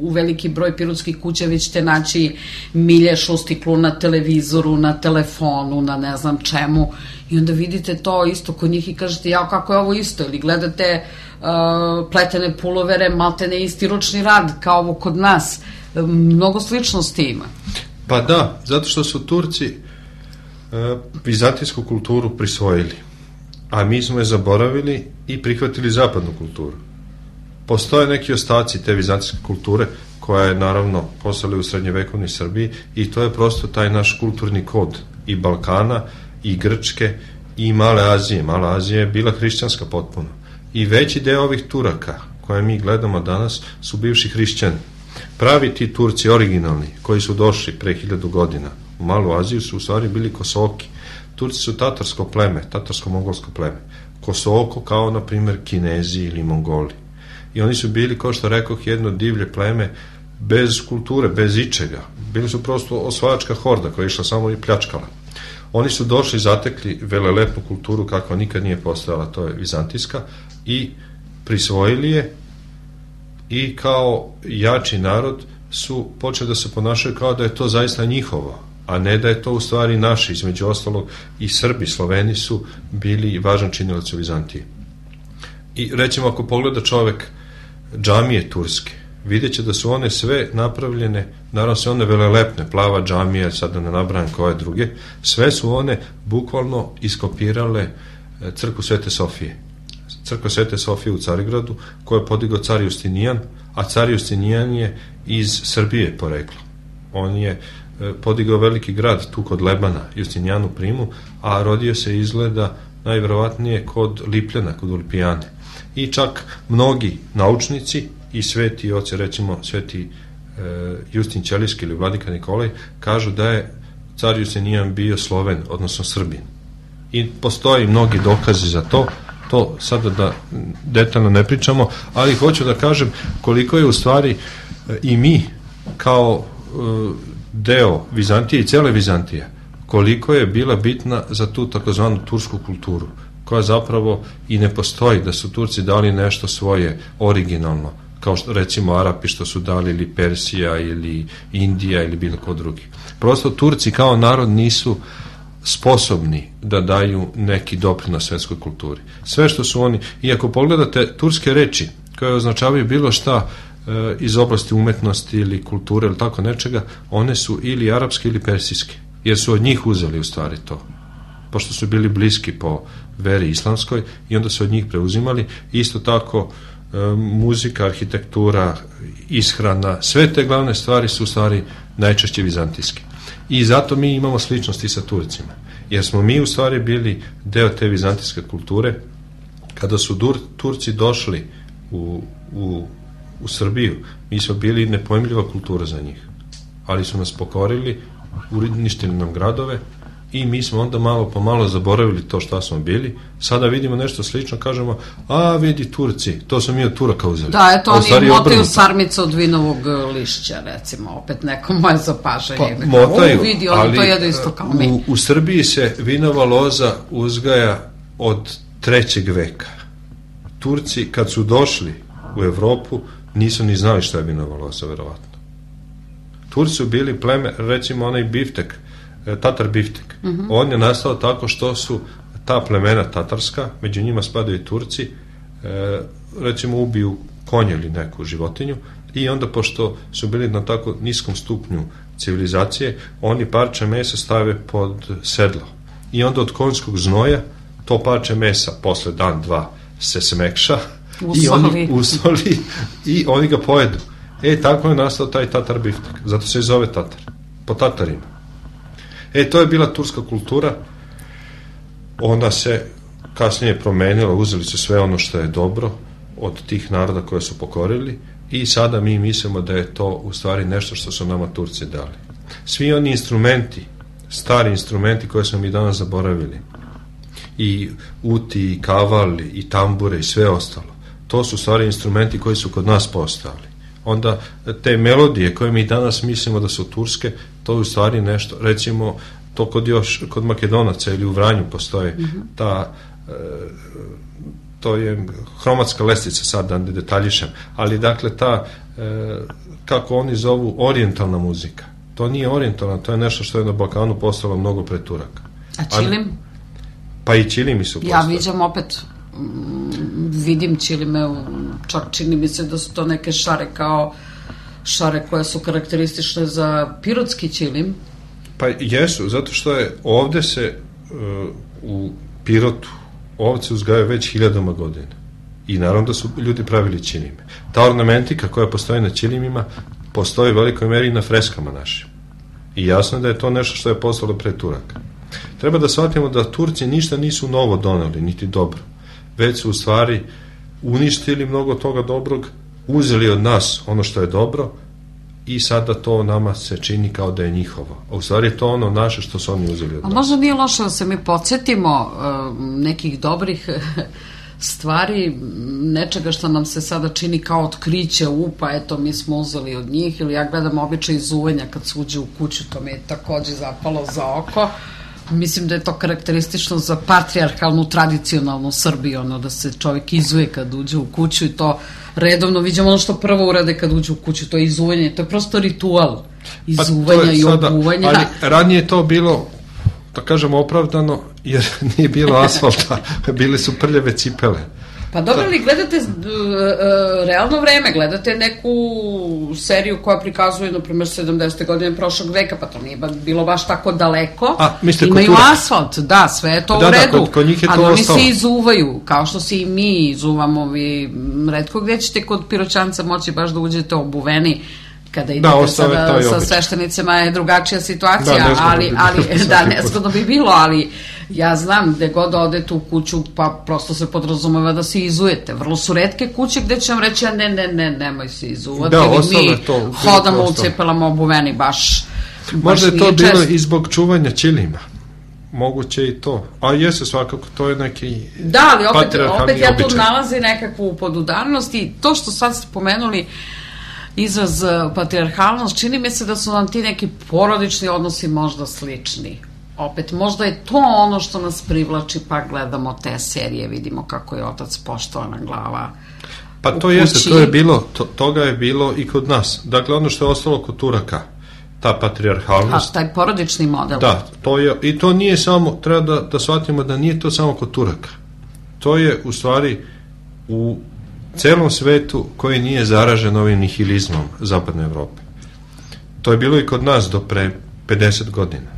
u veliki broj pirotskih kuća, vi ćete naći milje šustiklu na televizoru, na telefonu, na ne znam čemu. I onda vidite to isto kod njih i kažete, jao, kako je ovo isto? Ili gledate uh, pletene pulovere, maltene isti ručni rad, kao ovo kod nas. Mnogo sličnosti ima. Pa da, zato što su Turci e, vizantijsku kulturu prisvojili, a mi smo je zaboravili i prihvatili zapadnu kulturu. Postoje neki ostaci te vizantijske kulture koja je naravno postala u srednjevekovnoj Srbiji i to je prosto taj naš kulturni kod i Balkana i Grčke i Male Azije. Mala Azija je bila hrišćanska potpuno. I veći deo ovih Turaka koje mi gledamo danas su bivši hrišćani. Pravi ti Turci originalni koji su došli pre hiljadu godina u Malu Aziju su u stvari bili Kosoki. Turci su tatarsko pleme, tatarsko-mongolsko pleme. Kosoko kao na primer Kinezi ili Mongoli. I oni su bili, kao što rekoh, jedno divlje pleme bez kulture, bez ičega. Bili su prosto osvajačka horda koja je išla samo i pljačkala. Oni su došli, zatekli velelepnu kulturu kakva nikad nije postojala, to je vizantijska, i prisvojili je i kao jači narod su počeli da se ponašaju kao da je to zaista njihovo, a ne da je to u stvari naše. Između ostalog i Srbi, Sloveni su bili važan činilac u Vizantiji. I recimo ako pogleda čovek džamije turske, vidjet će da su one sve napravljene, naravno sve one velelepne, plava džamija, sad da ne nabrajam koje druge, sve su one bukvalno iskopirale crkvu Svete Sofije. Crkva Svete Sofije u Carigradu, koju je podigao car Justinijan, a car Justinijan je iz Srbije poreklo. On je podigao veliki grad tu kod Lebana, Justinijanu Primu, a rodio se izgleda najverovatnije kod Lipljana, kod Ulpijane. I čak mnogi naučnici i sveti oci, recimo sveti e, Justin Ćelijski ili Vladika Nikolaj, kažu da je car Justinijan bio Sloven, odnosno Srbin. I postoji mnogi dokazi za to, to sada da detaljno ne pričamo, ali hoću da kažem koliko je u stvari i mi kao deo Vizantije i cele Vizantije, koliko je bila bitna za tu takozvanu tursku kulturu, koja zapravo i ne postoji, da su Turci dali nešto svoje originalno, kao što recimo Arapi što su dali, ili Persija ili Indija ili bilo ko drugi. Prosto Turci kao narod nisu sposobni da daju neki doprinos svetskoj kulturi. Sve što su oni, i ako pogledate turske reči koje označavaju bilo šta e, iz oblasti umetnosti ili kulture ili tako nečega, one su ili arapske ili persijske, jer su od njih uzeli u stvari to, pošto su bili bliski po veri islamskoj i onda su od njih preuzimali. Isto tako e, muzika, arhitektura, ishrana, sve te glavne stvari su u stvari najčešće vizantijske. I zato mi imamo sličnosti sa Turcima, jer smo mi u stvari bili deo te vizantijske kulture. Kada su Dur, Turci došli u, u, u Srbiju, mi smo bili nepojmljiva kultura za njih, ali su nas pokorili, uništili nam gradove i mi smo onda malo po malo zaboravili to šta smo bili. Sada vidimo nešto slično, kažemo, a vidi Turci, to smo mi od Turaka uzeli. Da, eto, oni motaju sarmicu od vinovog lišća, recimo, opet neko moje zapažanje. Pa, motaju, u, vidi, oni ali to jedu isto kao mi. U, u Srbiji se vinova loza uzgaja od trećeg veka. Turci, kad su došli u Evropu, nisu ni znali šta je vinova loza, verovatno. Turci su bili pleme, recimo onaj biftek, Tatar biftek. Uh-huh. On je nastao tako što su ta plemena tatarska, među njima spadaju i Turci, e, recimo ubiju konje ili neku životinju i onda, pošto su bili na tako niskom stupnju civilizacije, oni parče mesa stave pod sedlo. I onda od konjskog znoja to parče mesa posle dan, dva se smekša usoli. i oni usoli i oni ga pojedu. E, tako je nastao taj Tatar biftek. Zato se i zove Tatar. Po Tatarima. E, to je bila turska kultura. Ona se kasnije promenila, uzeli su sve ono što je dobro od tih naroda koje su pokorili i sada mi mislimo da je to u stvari nešto što su nama Turci dali. Svi oni instrumenti, stari instrumenti koje smo mi danas zaboravili, i uti, i kaval, i tambure, i sve ostalo, to su stvari instrumenti koji su kod nas postojali. Onda te melodije koje mi danas mislimo da su turske, to je u stvari nešto, recimo to kod još, kod Makedonaca ili u Vranju postoje mm-hmm. ta e, to je hromatska lestica, sad da ne detaljišem, ali dakle ta e, kako oni zovu orijentalna muzika, to nije orijentalna, to je nešto što je na Balkanu postalo mnogo pre Turaka. A čilim? Pa i čilimi su postali. Ja viđam opet vidim čilime, čak čini mi se da su to neke šare kao šare koje su karakteristične za pirotski čilim. Pa jesu, zato što je ovde se uh, u Pirotu ovce uzgajaju već hiljadama godina i naravno da su ljudi pravili čilime. Ta ornamentika koja postoji na čilimima postoji u velikoj meri i na freskama našim i jasno je da je to nešto što je postalo pre Turaka. Treba da shvatimo da Turci ništa nisu novo doneli, niti dobro, već su u stvari uništili mnogo toga dobrog, uzeli od nas ono što je dobro i sada to nama se čini kao da je njihovo. A u stvari je to ono naše što su oni uzeli od nas. A možda nije loše da se mi podsjetimo uh, nekih dobrih stvari, nečega što nam se sada čini kao otkriće, upa, eto, mi smo uzeli od njih, ili ja gledam običaj izuvenja kad se uđe u kuću, to mi je takođe zapalo za oko. Mislim da je to karakteristično za patrijarhalnu, tradicionalnu Srbiju, ono da se čovjek izuje kad uđe u kuću i to redovno vidimo ono što prvo urade kad uđe u kuću, to je izuvanje, to je prosto ritual izuvanja pa i obuvanja. Ali ranije je to bilo, da kažemo, opravdano, jer nije bilo asfalta, bile su prljave cipele. Pa dobro, ali gledate uh, uh, realno vreme, gledate neku seriju koja prikazuje, na primjer, sedamdesete godine prošlog veka, pa to nije bilo baš tako daleko. A, mislite, imaju asfalt, da, sve je to da, u redu, da, kod, kod njih je to ali oni ostalo. se izuvaju, kao što se i mi izuvamo, vi retko gdje ćete kod Piroćanca moći baš da uđete obuveni, kada idete da, sada sa sveštenicima je drugačija situacija, da, ali, ali da, nezgodno bi bilo, ali ja znam gde god odete u kuću, pa prosto se podrazumeva da se izujete. Vrlo su retke kuće gde će vam reći, a ne, ne, ne, nemoj se izuvati, da, mi to, hodamo u cipelama obuveni, baš, baš možda je to bilo čest. I zbog čuvanja čilima. Moguće i to. A jeste svakako, to je neki da, ali opet, opet ja tu običaj. Nalazi nekakvu podudarnost i to što sad ste pomenuli izraz patrijarhalnost, čini mi se da su nam ti neki porodični odnosi možda slični. Opet, možda je to ono što nas privlači, pa gledamo te serije, vidimo kako je otac poštovana glava. Pa to jeste, to je bilo, to, toga je bilo i kod nas. Dakle, ono što je ostalo kod Turaka, ta patrijarhalnost. A taj porodični model. Da, to je, i to nije samo, treba da, da shvatimo da nije to samo kod Turaka. To je u stvari u celom svetu koji nije zaražen ovim nihilizmom Zapadne Evrope. To je bilo i kod nas do pre pedeset godina.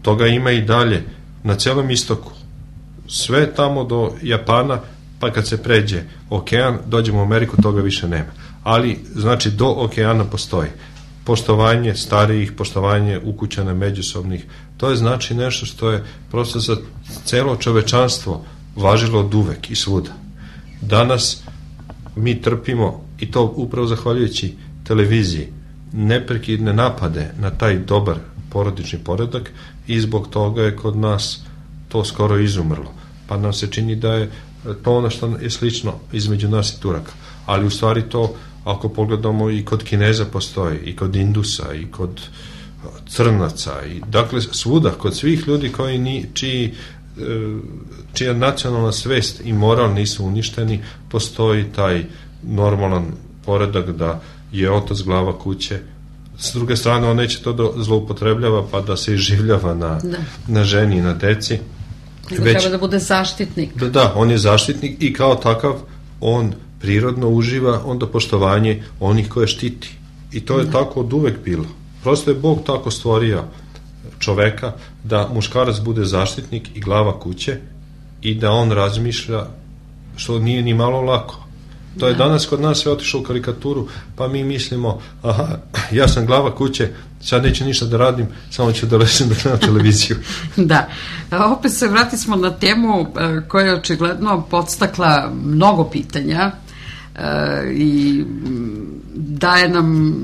Toga ima i dalje na celom istoku. Sve tamo do Japana, pa kad se pređe okean, dođemo u Ameriku, toga više nema. Ali, znači, do okeana postoji poštovanje starijih, poštovanje ukućana međusobnih. To je znači nešto što je prosto za celo čovečanstvo važilo od uvek i svuda. Danas mi trpimo, i to upravo zahvaljujući televiziji, neprekidne napade na taj dobar porodični poredak, i zbog toga je kod nas to skoro izumrlo. Pa nam se čini da je to ono što je slično između nas i Turaka. Ali u stvari to, ako pogledamo, i kod Kineza postoji, i kod Indusa, i kod Crnaca, i dakle svuda, kod svih ljudi koji ni, čiji, čija nacionalna svest i moral nisu uništeni, postoji taj normalan poredak da je otac glava kuće. S druge strane, on neće to da zloupotrebljava pa da se iživljava na, da. na ženi i na deci. Nego Već, treba da bude zaštitnik. Da, da, on je zaštitnik i kao takav on prirodno uživa onda poštovanje onih koje štiti. I to je da. tako od uvek bilo. Prosto je Bog tako stvorio čoveka da muškarac bude zaštitnik i glava kuće i da on razmišlja, što nije ni malo lako. To je danas kod nas sve otišlo u karikaturu, pa mi mislimo, aha, ja sam glava kuće, sad neću ništa da radim, samo ću da ležem da gledam televiziju. Da, opet se vratismo na temu koja je očigledno podstakla mnogo pitanja i daje nam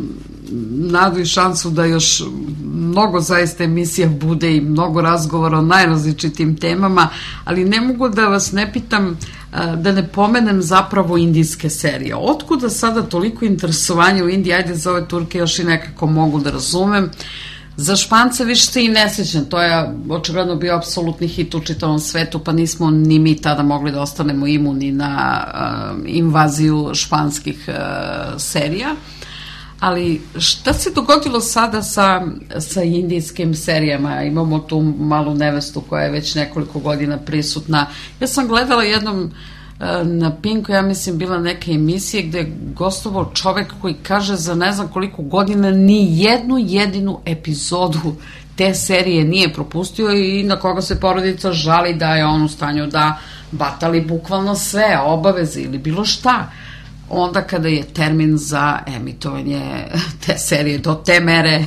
nadu i šansu da još mnogo zaista emisija bude i mnogo razgovora o najrazličitim temama, ali ne mogu da vas ne pitam, da ne pomenem zapravo indijske serije. Otkuda sada toliko interesovanja u Indiji? Ajde, za ove Turke još i nekako mogu da razumem. Za Špance više se i ne sećam, to je očigledno bio apsolutni hit u čitavom svetu, pa nismo ni mi tada mogli da ostanemo imuni na uh, invaziju španskih uh, serija. Ali šta se dogodilo sada sa, sa indijskim serijama? Imamo tu malu nevestu koja je već nekoliko godina prisutna. Ja sam gledala jednom na Pinku, ja mislim bila neke emisije gde je gostovao čovek koji kaže za ne znam koliko godina ni jednu jedinu epizodu te serije nije propustio i na koga se porodica žali da je on u stanju da batali bukvalno sve obaveze ili bilo šta. Onda kada je termin za emitovanje te serije do te mere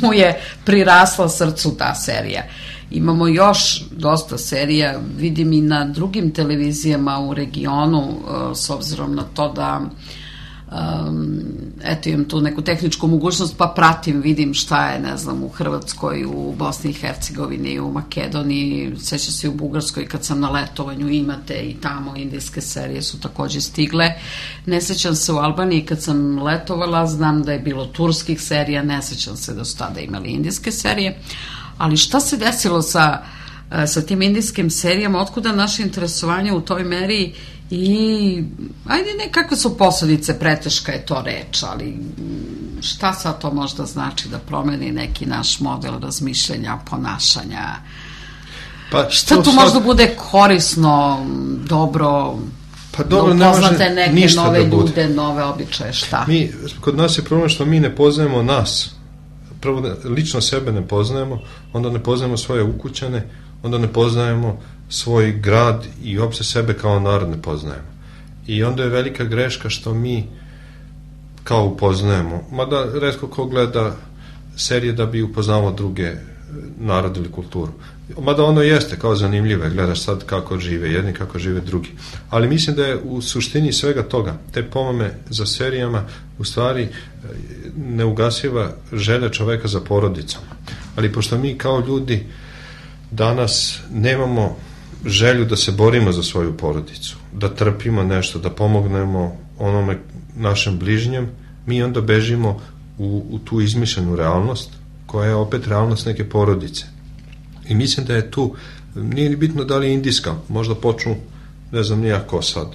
mu je prirasla srcu ta serija. Imamo još dosta serija, vidim i na drugim televizijama u regionu, s obzirom na to da um, eto imam tu neku tehničku mogućnost pa pratim, vidim šta je, ne znam, u Hrvatskoj, u Bosni i Hercegovini, u Makedoniji, sećam se u Bugarskoj kad sam na letovanju, imate i tamo indijske serije su takođe stigle. Ne sećam se u Albaniji kad sam letovala, znam da je bilo turskih serija, ne sećam se da su tada imali indijske serije. Ali šta se desilo sa, sa tim indijskim serijama, otkuda naše interesovanje u toj meri i, ajde, nekakve su posledice, preteška je to reč, ali šta sad to možda znači da promeni neki naš model razmišljanja, ponašanja? Pa, šta tu sad možda bude korisno, dobro, pa dobro, da upoznate ne neke nove da ljude, nove običaje, šta? Mi, kod nas je problem što mi ne poznajemo nas. Prvo, lično sebe ne poznajemo, onda ne poznajemo svoje ukućane, onda ne poznajemo svoj grad i uopšte sebe kao narod ne poznajemo. I onda je velika greška što mi kao upoznajemo, mada retko ko gleda serije da bi upoznavao druge narode ili kulturu. Mada ono jeste kao zanimljivo, gledaš sad kako žive jedni, kako žive drugi. Ali mislim da je u suštini svega toga, te pomame za serijama, u stvari neugasiva želja čoveka za porodicom. Ali pošto mi kao ljudi danas nemamo želju da se borimo za svoju porodicu, da trpimo nešto, da pomognemo onome našem bližnjem, mi onda bežimo u, u tu izmišljenu realnost, koja je opet realnost neke porodice. I mislim da je tu, nije ni bitno da li je indijska, možda počnu, ne znam nijako sad,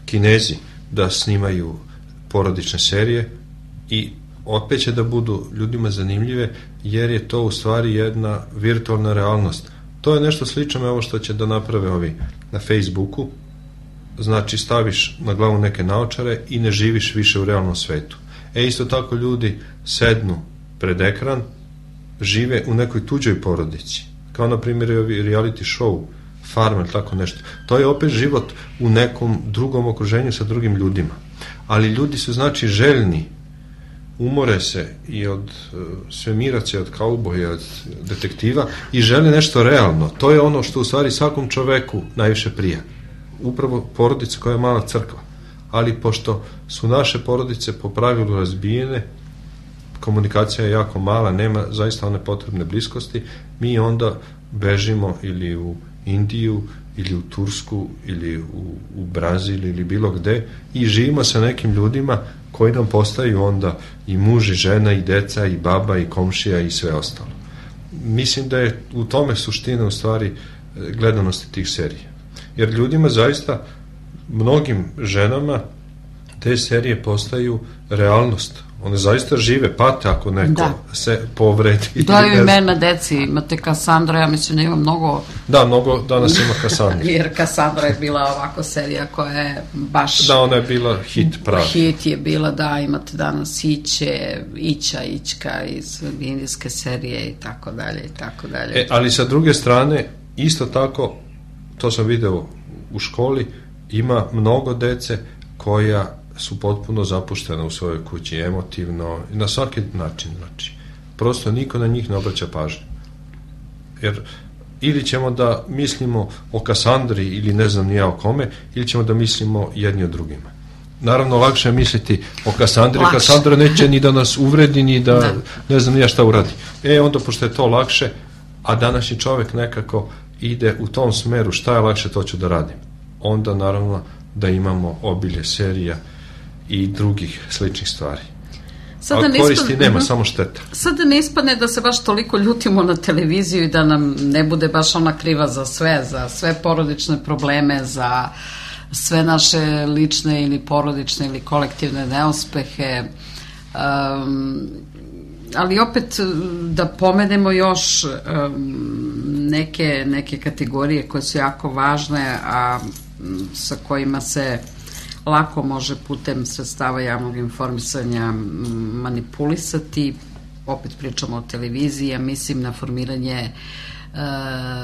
Kinezi da snimaju porodične serije i opet će da budu ljudima zanimljive, jer je to u stvari jedna virtualna realnost. To je nešto slično ovo što će da naprave ovi na Facebooku, znači staviš na glavu neke naočare i ne živiš više u realnom svetu. E isto tako ljudi sednu pred ekran, žive u nekoj tuđoj porodici, kao na primjer ovi reality show, Farmer, tako nešto. To je opet život u nekom drugom okruženju sa drugim ljudima. Ali ljudi su znači željni, umore se i od uh, svemiraca, od kauboja, od detektiva i žele nešto realno. To je ono što u stvari svakom čoveku najviše prija. Upravo porodica koja je mala crkva. ali pošto su naše porodice po pravilu razbijene, komunikacija je jako mala, nema zaista one potrebne bliskosti, mi onda bežimo ili u Indiju, ili u Tursku, ili u, u Brazil, ili bilo gde i živimo sa nekim ljudima koji nam postaju onda i muž, i žena, i deca, i baba, i komšija, i sve ostalo. Mislim da je u tome suština u stvari gledanosti tih serija. Jer ljudima zaista, mnogim ženama, te serije postaju realnost. One zaista žive, pate ako neko da. se povredi. Daju imena deci, imate Kassandra, ja mislim da ima mnogo... Da, mnogo danas ima Kassandra. Jer Kassandra je bila ovako serija koja je baš... Da, ona je bila hit pravi. Hit je bila, da, imate danas Iće, Ića, Ićka iz indijske serije i tako dalje i tako dalje. E, ali sa druge strane, isto tako, to sam video u školi, ima mnogo dece koja su potpuno zapuštene u svojoj kući, emotivno, na svaki način, znači. Prosto niko na njih ne obraća pažnju. Jer ili ćemo da mislimo o Kassandri ili ne znam ni ja o kome, ili ćemo da mislimo jedni o drugima. Naravno, lakše je misliti o Kassandri, lakše. Kassandra neće ni da nas uvredi, ni da ne, ne znam ni ja šta uradi. E, onda, pošto je to lakše, a današnji čovjek nekako ide u tom smeru, šta je lakše, to ću da radim. Onda, naravno, da imamo obilje serija i drugih sličnih stvari. Sada a koristi ispadne, nema, uh-huh. samo šteta. Sada ne ispadne da se baš toliko ljutimo na televiziju i da nam ne bude baš ona kriva za sve, za sve porodične probleme, za sve naše lične ili porodične ili kolektivne neuspehe. Um, ali opet da pomenemo još um, neke, neke kategorije koje su jako važne, a sa kojima se lako može putem sredstava javnog informisanja manipulisati. Opet pričamo o televiziji, ja mislim na formiranje e,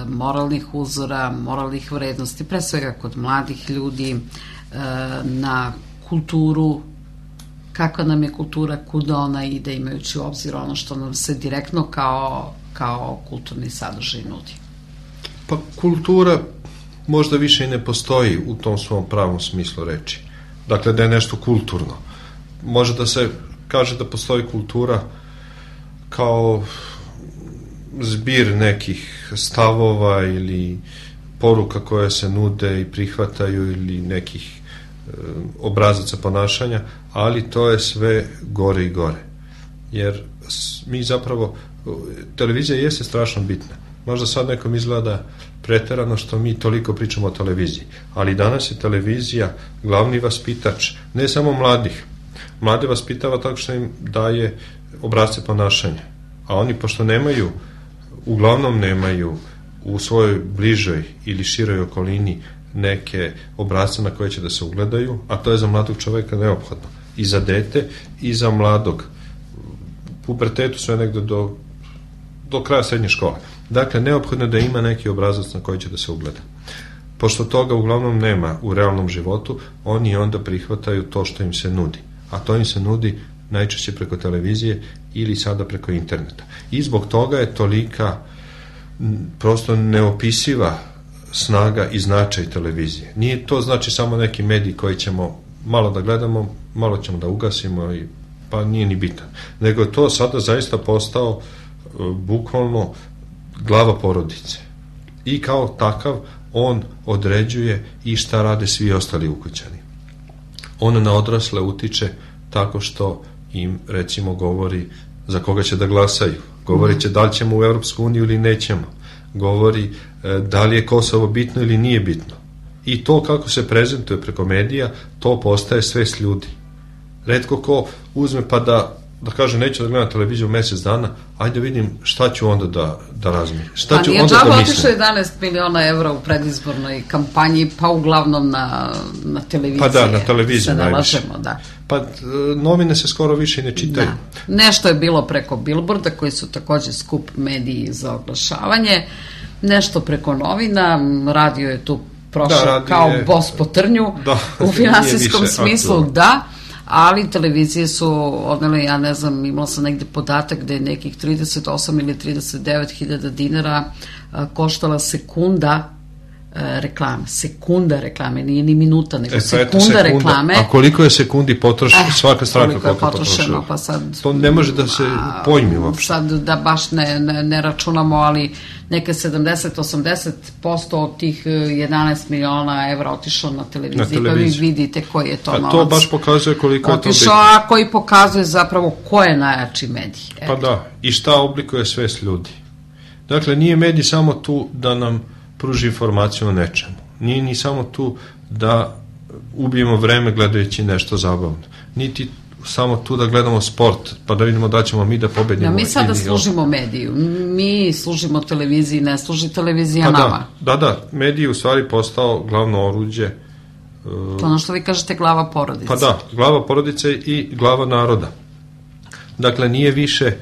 moralnih uzora, moralnih vrednosti, pre svega kod mladih ljudi, e, na kulturu, kakva nam je kultura, kuda ona ide, imajući u obzir ono što nam se direktno kao, kao kulturni sadržaj nudi. Pa kultura možda više i ne postoji u tom svom pravom smislu reči. Dakle, da je nešto kulturno. Može da se kaže da postoji kultura kao zbir nekih stavova ili poruka koje se nude i prihvataju ili nekih e, obrazaca ponašanja, ali to je sve gore i gore. Jer mi zapravo, televizija jeste strašno bitna. Možda sad nekom izgleda preterano što mi toliko pričamo o televiziji, ali danas je televizija glavni vaspitač, ne samo mladih. Mlade vaspitava tako što im daje obrasce ponašanja, a oni pošto nemaju, uglavnom nemaju u svojoj bližoj ili široj okolini neke obrasce na koje će da se ugledaju, a to je za mladog čoveka neophodno. I za dete, i za mladog. U pubertetu sve negde do, do kraja srednje škole. Dakle, neophodno je da ima neki obrazac na koji će da se ugleda. Pošto toga uglavnom nema u realnom životu, oni onda prihvataju to što im se nudi. A to im se nudi najčešće preko televizije ili sada preko interneta. I zbog toga je tolika prosto neopisiva snaga i značaj televizije. Nije to znači samo neki medij koji ćemo malo da gledamo, malo ćemo da ugasimo, i, pa nije ni bitan. Nego je to sada zaista postao uh, bukvalno glava porodice. I kao takav on određuje i šta rade svi ostali ukućani. On na odrasle utiče tako što im recimo govori za koga će da glasaju. Govori će da li ćemo u Europsku uniju ili nećemo. Govori e, da li je Kosovo bitno ili nije bitno. I to kako se prezentuje preko medija, to postaje svest ljudi. Retko ko uzme pa da da kaže neću da gledam televiziju mesec dana, ajde vidim šta ću onda da, da razmišljam. Šta pa ću nije onda da džaba mislim. otišlo jedanaest miliona evra u predizbornoj kampanji, pa uglavnom na, na televiziji. Pa da, na televiziji se najviše. Nalažemo, da. Pa novine se skoro više ne čitaju. Da. Nešto je bilo preko Billboarda, koji su takođe skup mediji za oglašavanje, nešto preko novina, radio je tu prošao da, kao je, bos po trnju, da, u finansijskom smislu, aktualno. Da, ali televizije su odnele, ja ne znam, imala sam negde podatak da je nekih trideset osam ili trideset devet hiljada dinara a, koštala sekunda reklame, sekunda reklame, nije ni minuta, nego e, sekunda, sekunda reklame. A koliko je sekundi potrošeno, eh, svaka stranka koliko je koliko potrošeno, pa sad... To ne može da se pojmi uopšte. Sad da baš ne, ne, ne računamo, ali neke sedamdeset do osamdeset posto od tih jedanaest miliona evra otišlo na televiziji, na televiziji. Pa vi vidite koji je to a novac. A to baš pokazuje koliko otišao, je to bitno. A koji pokazuje zapravo ko je najjači medij. Pa da, i šta oblikuje svest ljudi. Dakle, nije medij samo tu da nam pruži informaciju o nečemu. Nije ni samo tu da ubijemo vreme gledajući nešto zabavno. Niti samo tu da gledamo sport, pa da vidimo da ćemo mi da pobedimo. Ja, mi sada služimo mediju. Mi služimo televiziji, ne služi televizija pa nama. Da, da, da. Medij je u stvari postao glavno oruđe. To ono što vi kažete glava porodice. Pa da, glava porodice i glava naroda. Dakle, nije više,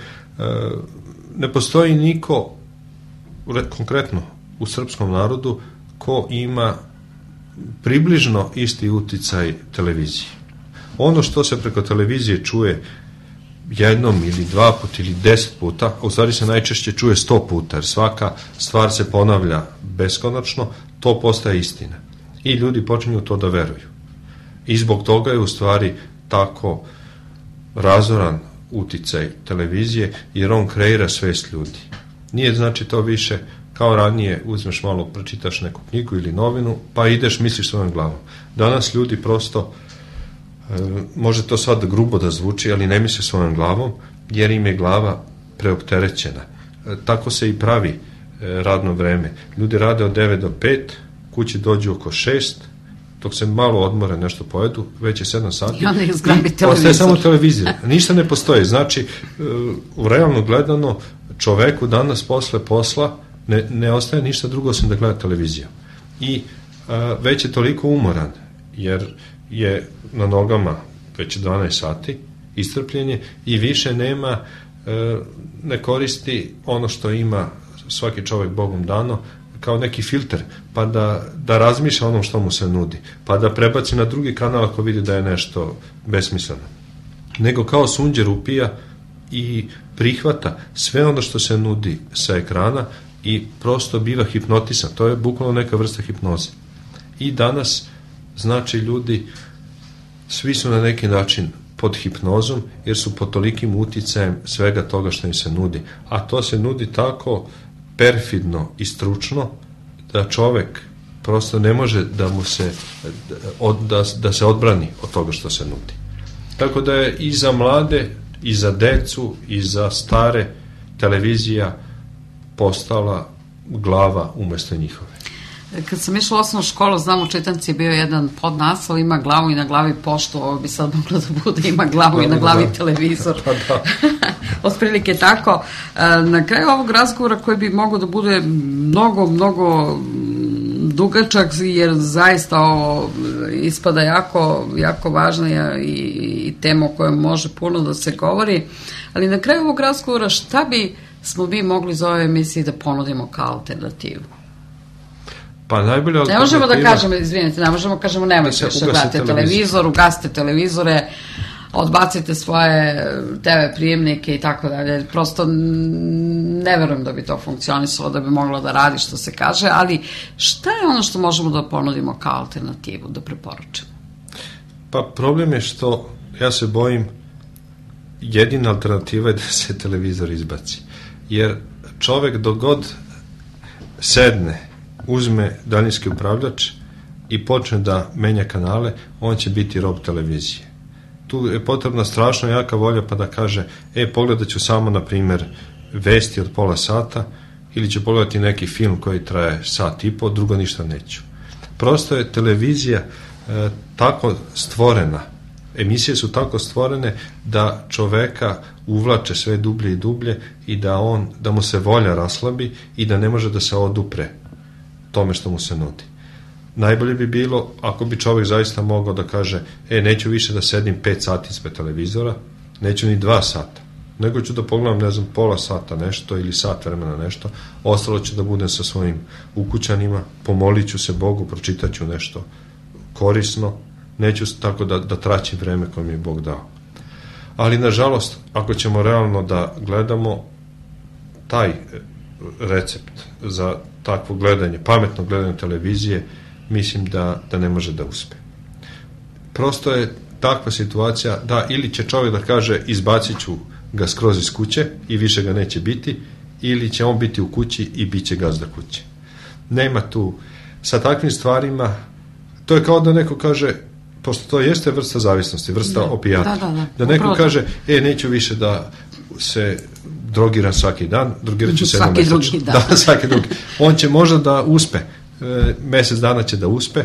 ne postoji niko, konkretno u srpskom narodu, ko ima približno isti uticaj televizije. Ono što se preko televizije čuje jednom ili dva puta ili deset puta, a u stvari se najčešće čuje sto puta, jer svaka stvar se ponavlja beskonačno, to postaje istina. I ljudi počinju to da veruju. I zbog toga je u stvari tako razoran uticaj televizije, jer on kreira svest ljudi. Nije znači to više kao ranije, uzmeš malo, pročitaš neku knjigu ili novinu, pa ideš, misliš svojom glavom. Danas ljudi prosto, e, može to sad grubo da zvuči, ali ne misle svojom glavom, jer im je glava preopterećena. E, tako se i pravi e, radno vreme. Ljudi rade od devet do pet, kući dođu oko šest, dok se malo odmore, nešto pojedu, već je sedam sati. I onda izgrabi televizor. Ostaje samo televizor. Ništa ne postoji. Znači, e, u realno gledano, čoveku danas posle posla Ne, ne ostaje ništa drugo osim da gleda televiziju. I a, već je toliko umoran, jer je na nogama već dvanaest sati, istrpljenje, i više nema, a, ne koristi ono što ima svaki čovek Bogom dano, kao neki filter, pa da, da razmišlja onom što mu se nudi, pa da prebaci na drugi kanal ako vidi da je nešto besmisleno. Nego kao sunđer upija i prihvata sve ono što se nudi sa ekrana, i prosto biva hipnotisan. To je bukvalno neka vrsta hipnoze. I danas, znači, ljudi svi su na neki način pod hipnozom, jer su pod tolikim uticajem svega toga što im se nudi. A to se nudi tako perfidno i stručno da čovek prosto ne može da mu se da, da se odbrani od toga što se nudi. Tako da je i za mlade, i za decu, i za stare televizija postala glava umesto njihove. Kad sam išla u osnovnu školu, znam, u čitanci je bio jedan podnaslov, ima glavu i na glavi poštu, ovo bi sad moglo da bude, ima glavu i na glavi da. televizor. Pa da. Otprilike tako. Na kraju ovog razgovora, koji bi mogao da bude mnogo, mnogo dugačak, jer zaista ovo ispada jako, jako važna i, i tema o kojoj može puno da se govori, ali na kraju ovog razgovora šta bi smo vi mogli za ove emisije da ponudimo kao alternativu? Pa najbolja alternativa... Ne možemo da kažemo, izvinite, ne možemo da kažemo nemojte više gledate televizor, ugasite televizore, odbacite svoje te ve prijemnike i tako dalje. Prosto ne verujem da bi to funkcionisalo, da bi moglo da radi, što se kaže, ali šta je ono što možemo da ponudimo kao alternativu, da preporučimo? Pa problem je što, ja se bojim, jedina alternativa je da se televizor izbaci. Jer čovek dok god sedne, uzme daljinski upravljač i počne da menja kanale, on će biti rob televizije. Tu je potrebna strašno jaka volja pa da kaže, e, pogledat ću samo, na primer, vesti od pola sata, ili ću pogledati neki film koji traje sat i po, drugo ništa neću. Prosto je televizija e, tako stvorena, emisije su tako stvorene da čoveka uvlače sve dublje i dublje i da on, da mu se volja raslabi i da ne može da se odupre tome što mu se nudi. Najbolje bi bilo ako bi čovjek zaista mogao da kaže, e, neću više da sedim pet sati ispred televizora, neću ni dva sata, nego ću da pogledam, ne znam, pola sata nešto ili sat vremena nešto, ostalo ću da budem sa svojim ukućanima, pomolit ću se Bogu, pročitat ću nešto korisno, neću tako da, da traćim vreme koje mi je Bog dao. Ali, nažalost, ako ćemo realno da gledamo, taj recept za takvo gledanje, pametno gledanje televizije, mislim da, da ne može da uspe. Prosto je takva situacija da ili će čovjek da kaže izbacit ću ga skroz iz kuće i više ga neće biti, ili će on biti u kući i bit će gazda kuće. Nema tu, sa takvim stvarima, to je kao da neko kaže, pošto to jeste vrsta zavisnosti, vrsta da, opijata, da, da, da. da neko Upravo kaže, e, neću više da se drogiram svaki dan, drogirat ću se jednom Svaki mesečno. drugi dan. Da, svaki drugi. On će možda da uspe, e, mjesec dana će da uspe,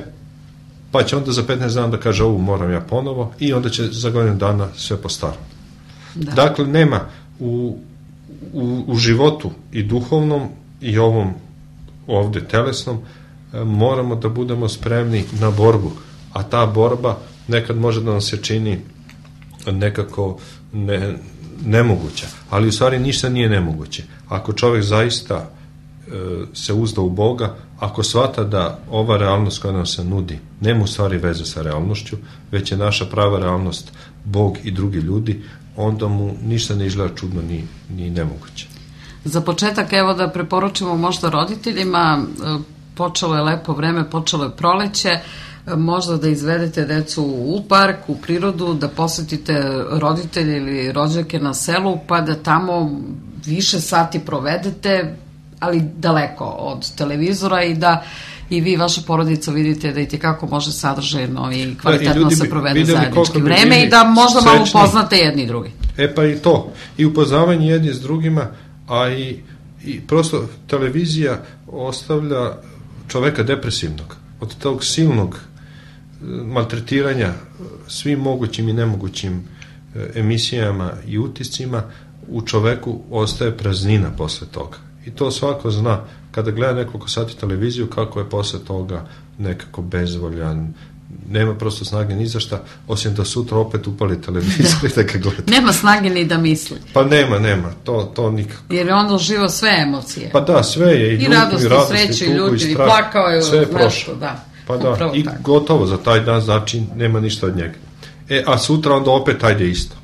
pa će onda za petnaest dana da kaže, ovu moram ja ponovo, i onda će za godinu dana sve po starom. Da. Dakle, nema u, u, u životu i duhovnom i ovom ovde telesnom, e, moramo da budemo spremni na borbu, a ta borba nekad može da nam se čini nekako ne, nemoguća, ali u stvari ništa nije nemoguće. Ako čovjek zaista e, se uzda u Boga, ako shvata da ova realnost koja nam se nudi nema u stvari veze sa realnošću, već je naša prava realnost Bog i drugi ljudi, onda mu ništa ne izgleda čudno ni, ni nemoguće. Za početak, evo da preporučimo možda roditeljima, počelo je lepo vreme, počelo je proleće, možda da izvedete decu u park, u prirodu, da posetite roditelje ili rođake na selu, pa da tamo više sati provedete, ali daleko od televizora, i da i vi, vaša porodica, vidite da i tekako može sadržajno i kvalitetno se provede zajednički vreme i da možda malo upoznate jedni i drugi. E pa i to, i upoznavanje jedni s drugima, a i, i prosto televizija ostavlja čoveka depresivnog od tog silnog maltretiranja svim mogućim i nemogućim emisijama i utiscima. U čoveku ostaje praznina posle toga, i to svako zna kada gleda nekoliko sati televiziju, kako je posle toga nekako bezvoljan, nema prosto snage ni za šta, osim da sutra opet upali televizor i da ga gleda. Nema snage ni da misli. Pa nema, nema, to, to nikako. Jer je onda živo sve emocije. Pa da, sve je, i, I ljubu, radost, i i radost, sreću, i i tugu, ljutnju, i i strah, plakao je, sve je nešto, prošlo. da. Pa da, Upravo i tako. gotovo za taj dan, znači nema ništa od njega. E, a sutra onda opet ajde isto.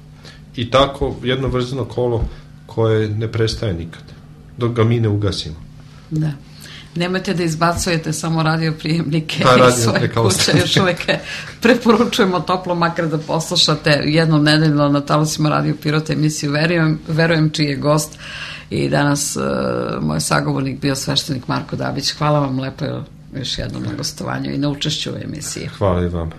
I tako jedno vrzino kolo koje ne prestaje nikad, dok ga mi ne ugasimo. Da. Nemojte da izbacujete samo radioprijemnike Ta iz svoje kuće, još uvijek preporučujemo toplo makar da poslušate jednom nedeljno na talasima Radio Pirota emisiju Verujem, verujem čiji je gost i danas uh, moj sagovornik bio sveštenik Marko Dabić. Hvala vam lepo još jednom na gostovanju i na učešću u emisiji. Hvala i vam.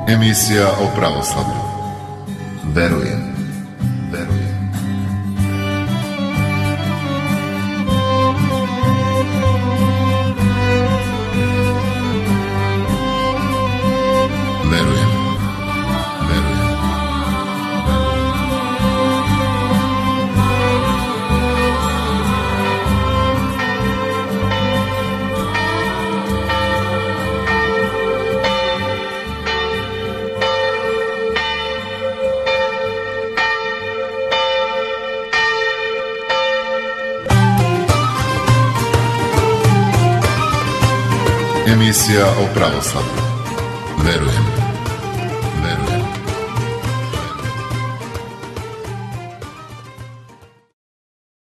Emisija o pravoslavlju. Verujem. Verujem. Verujem. Verujem. Emisija o pravoslavlju. Verujem. Verujem.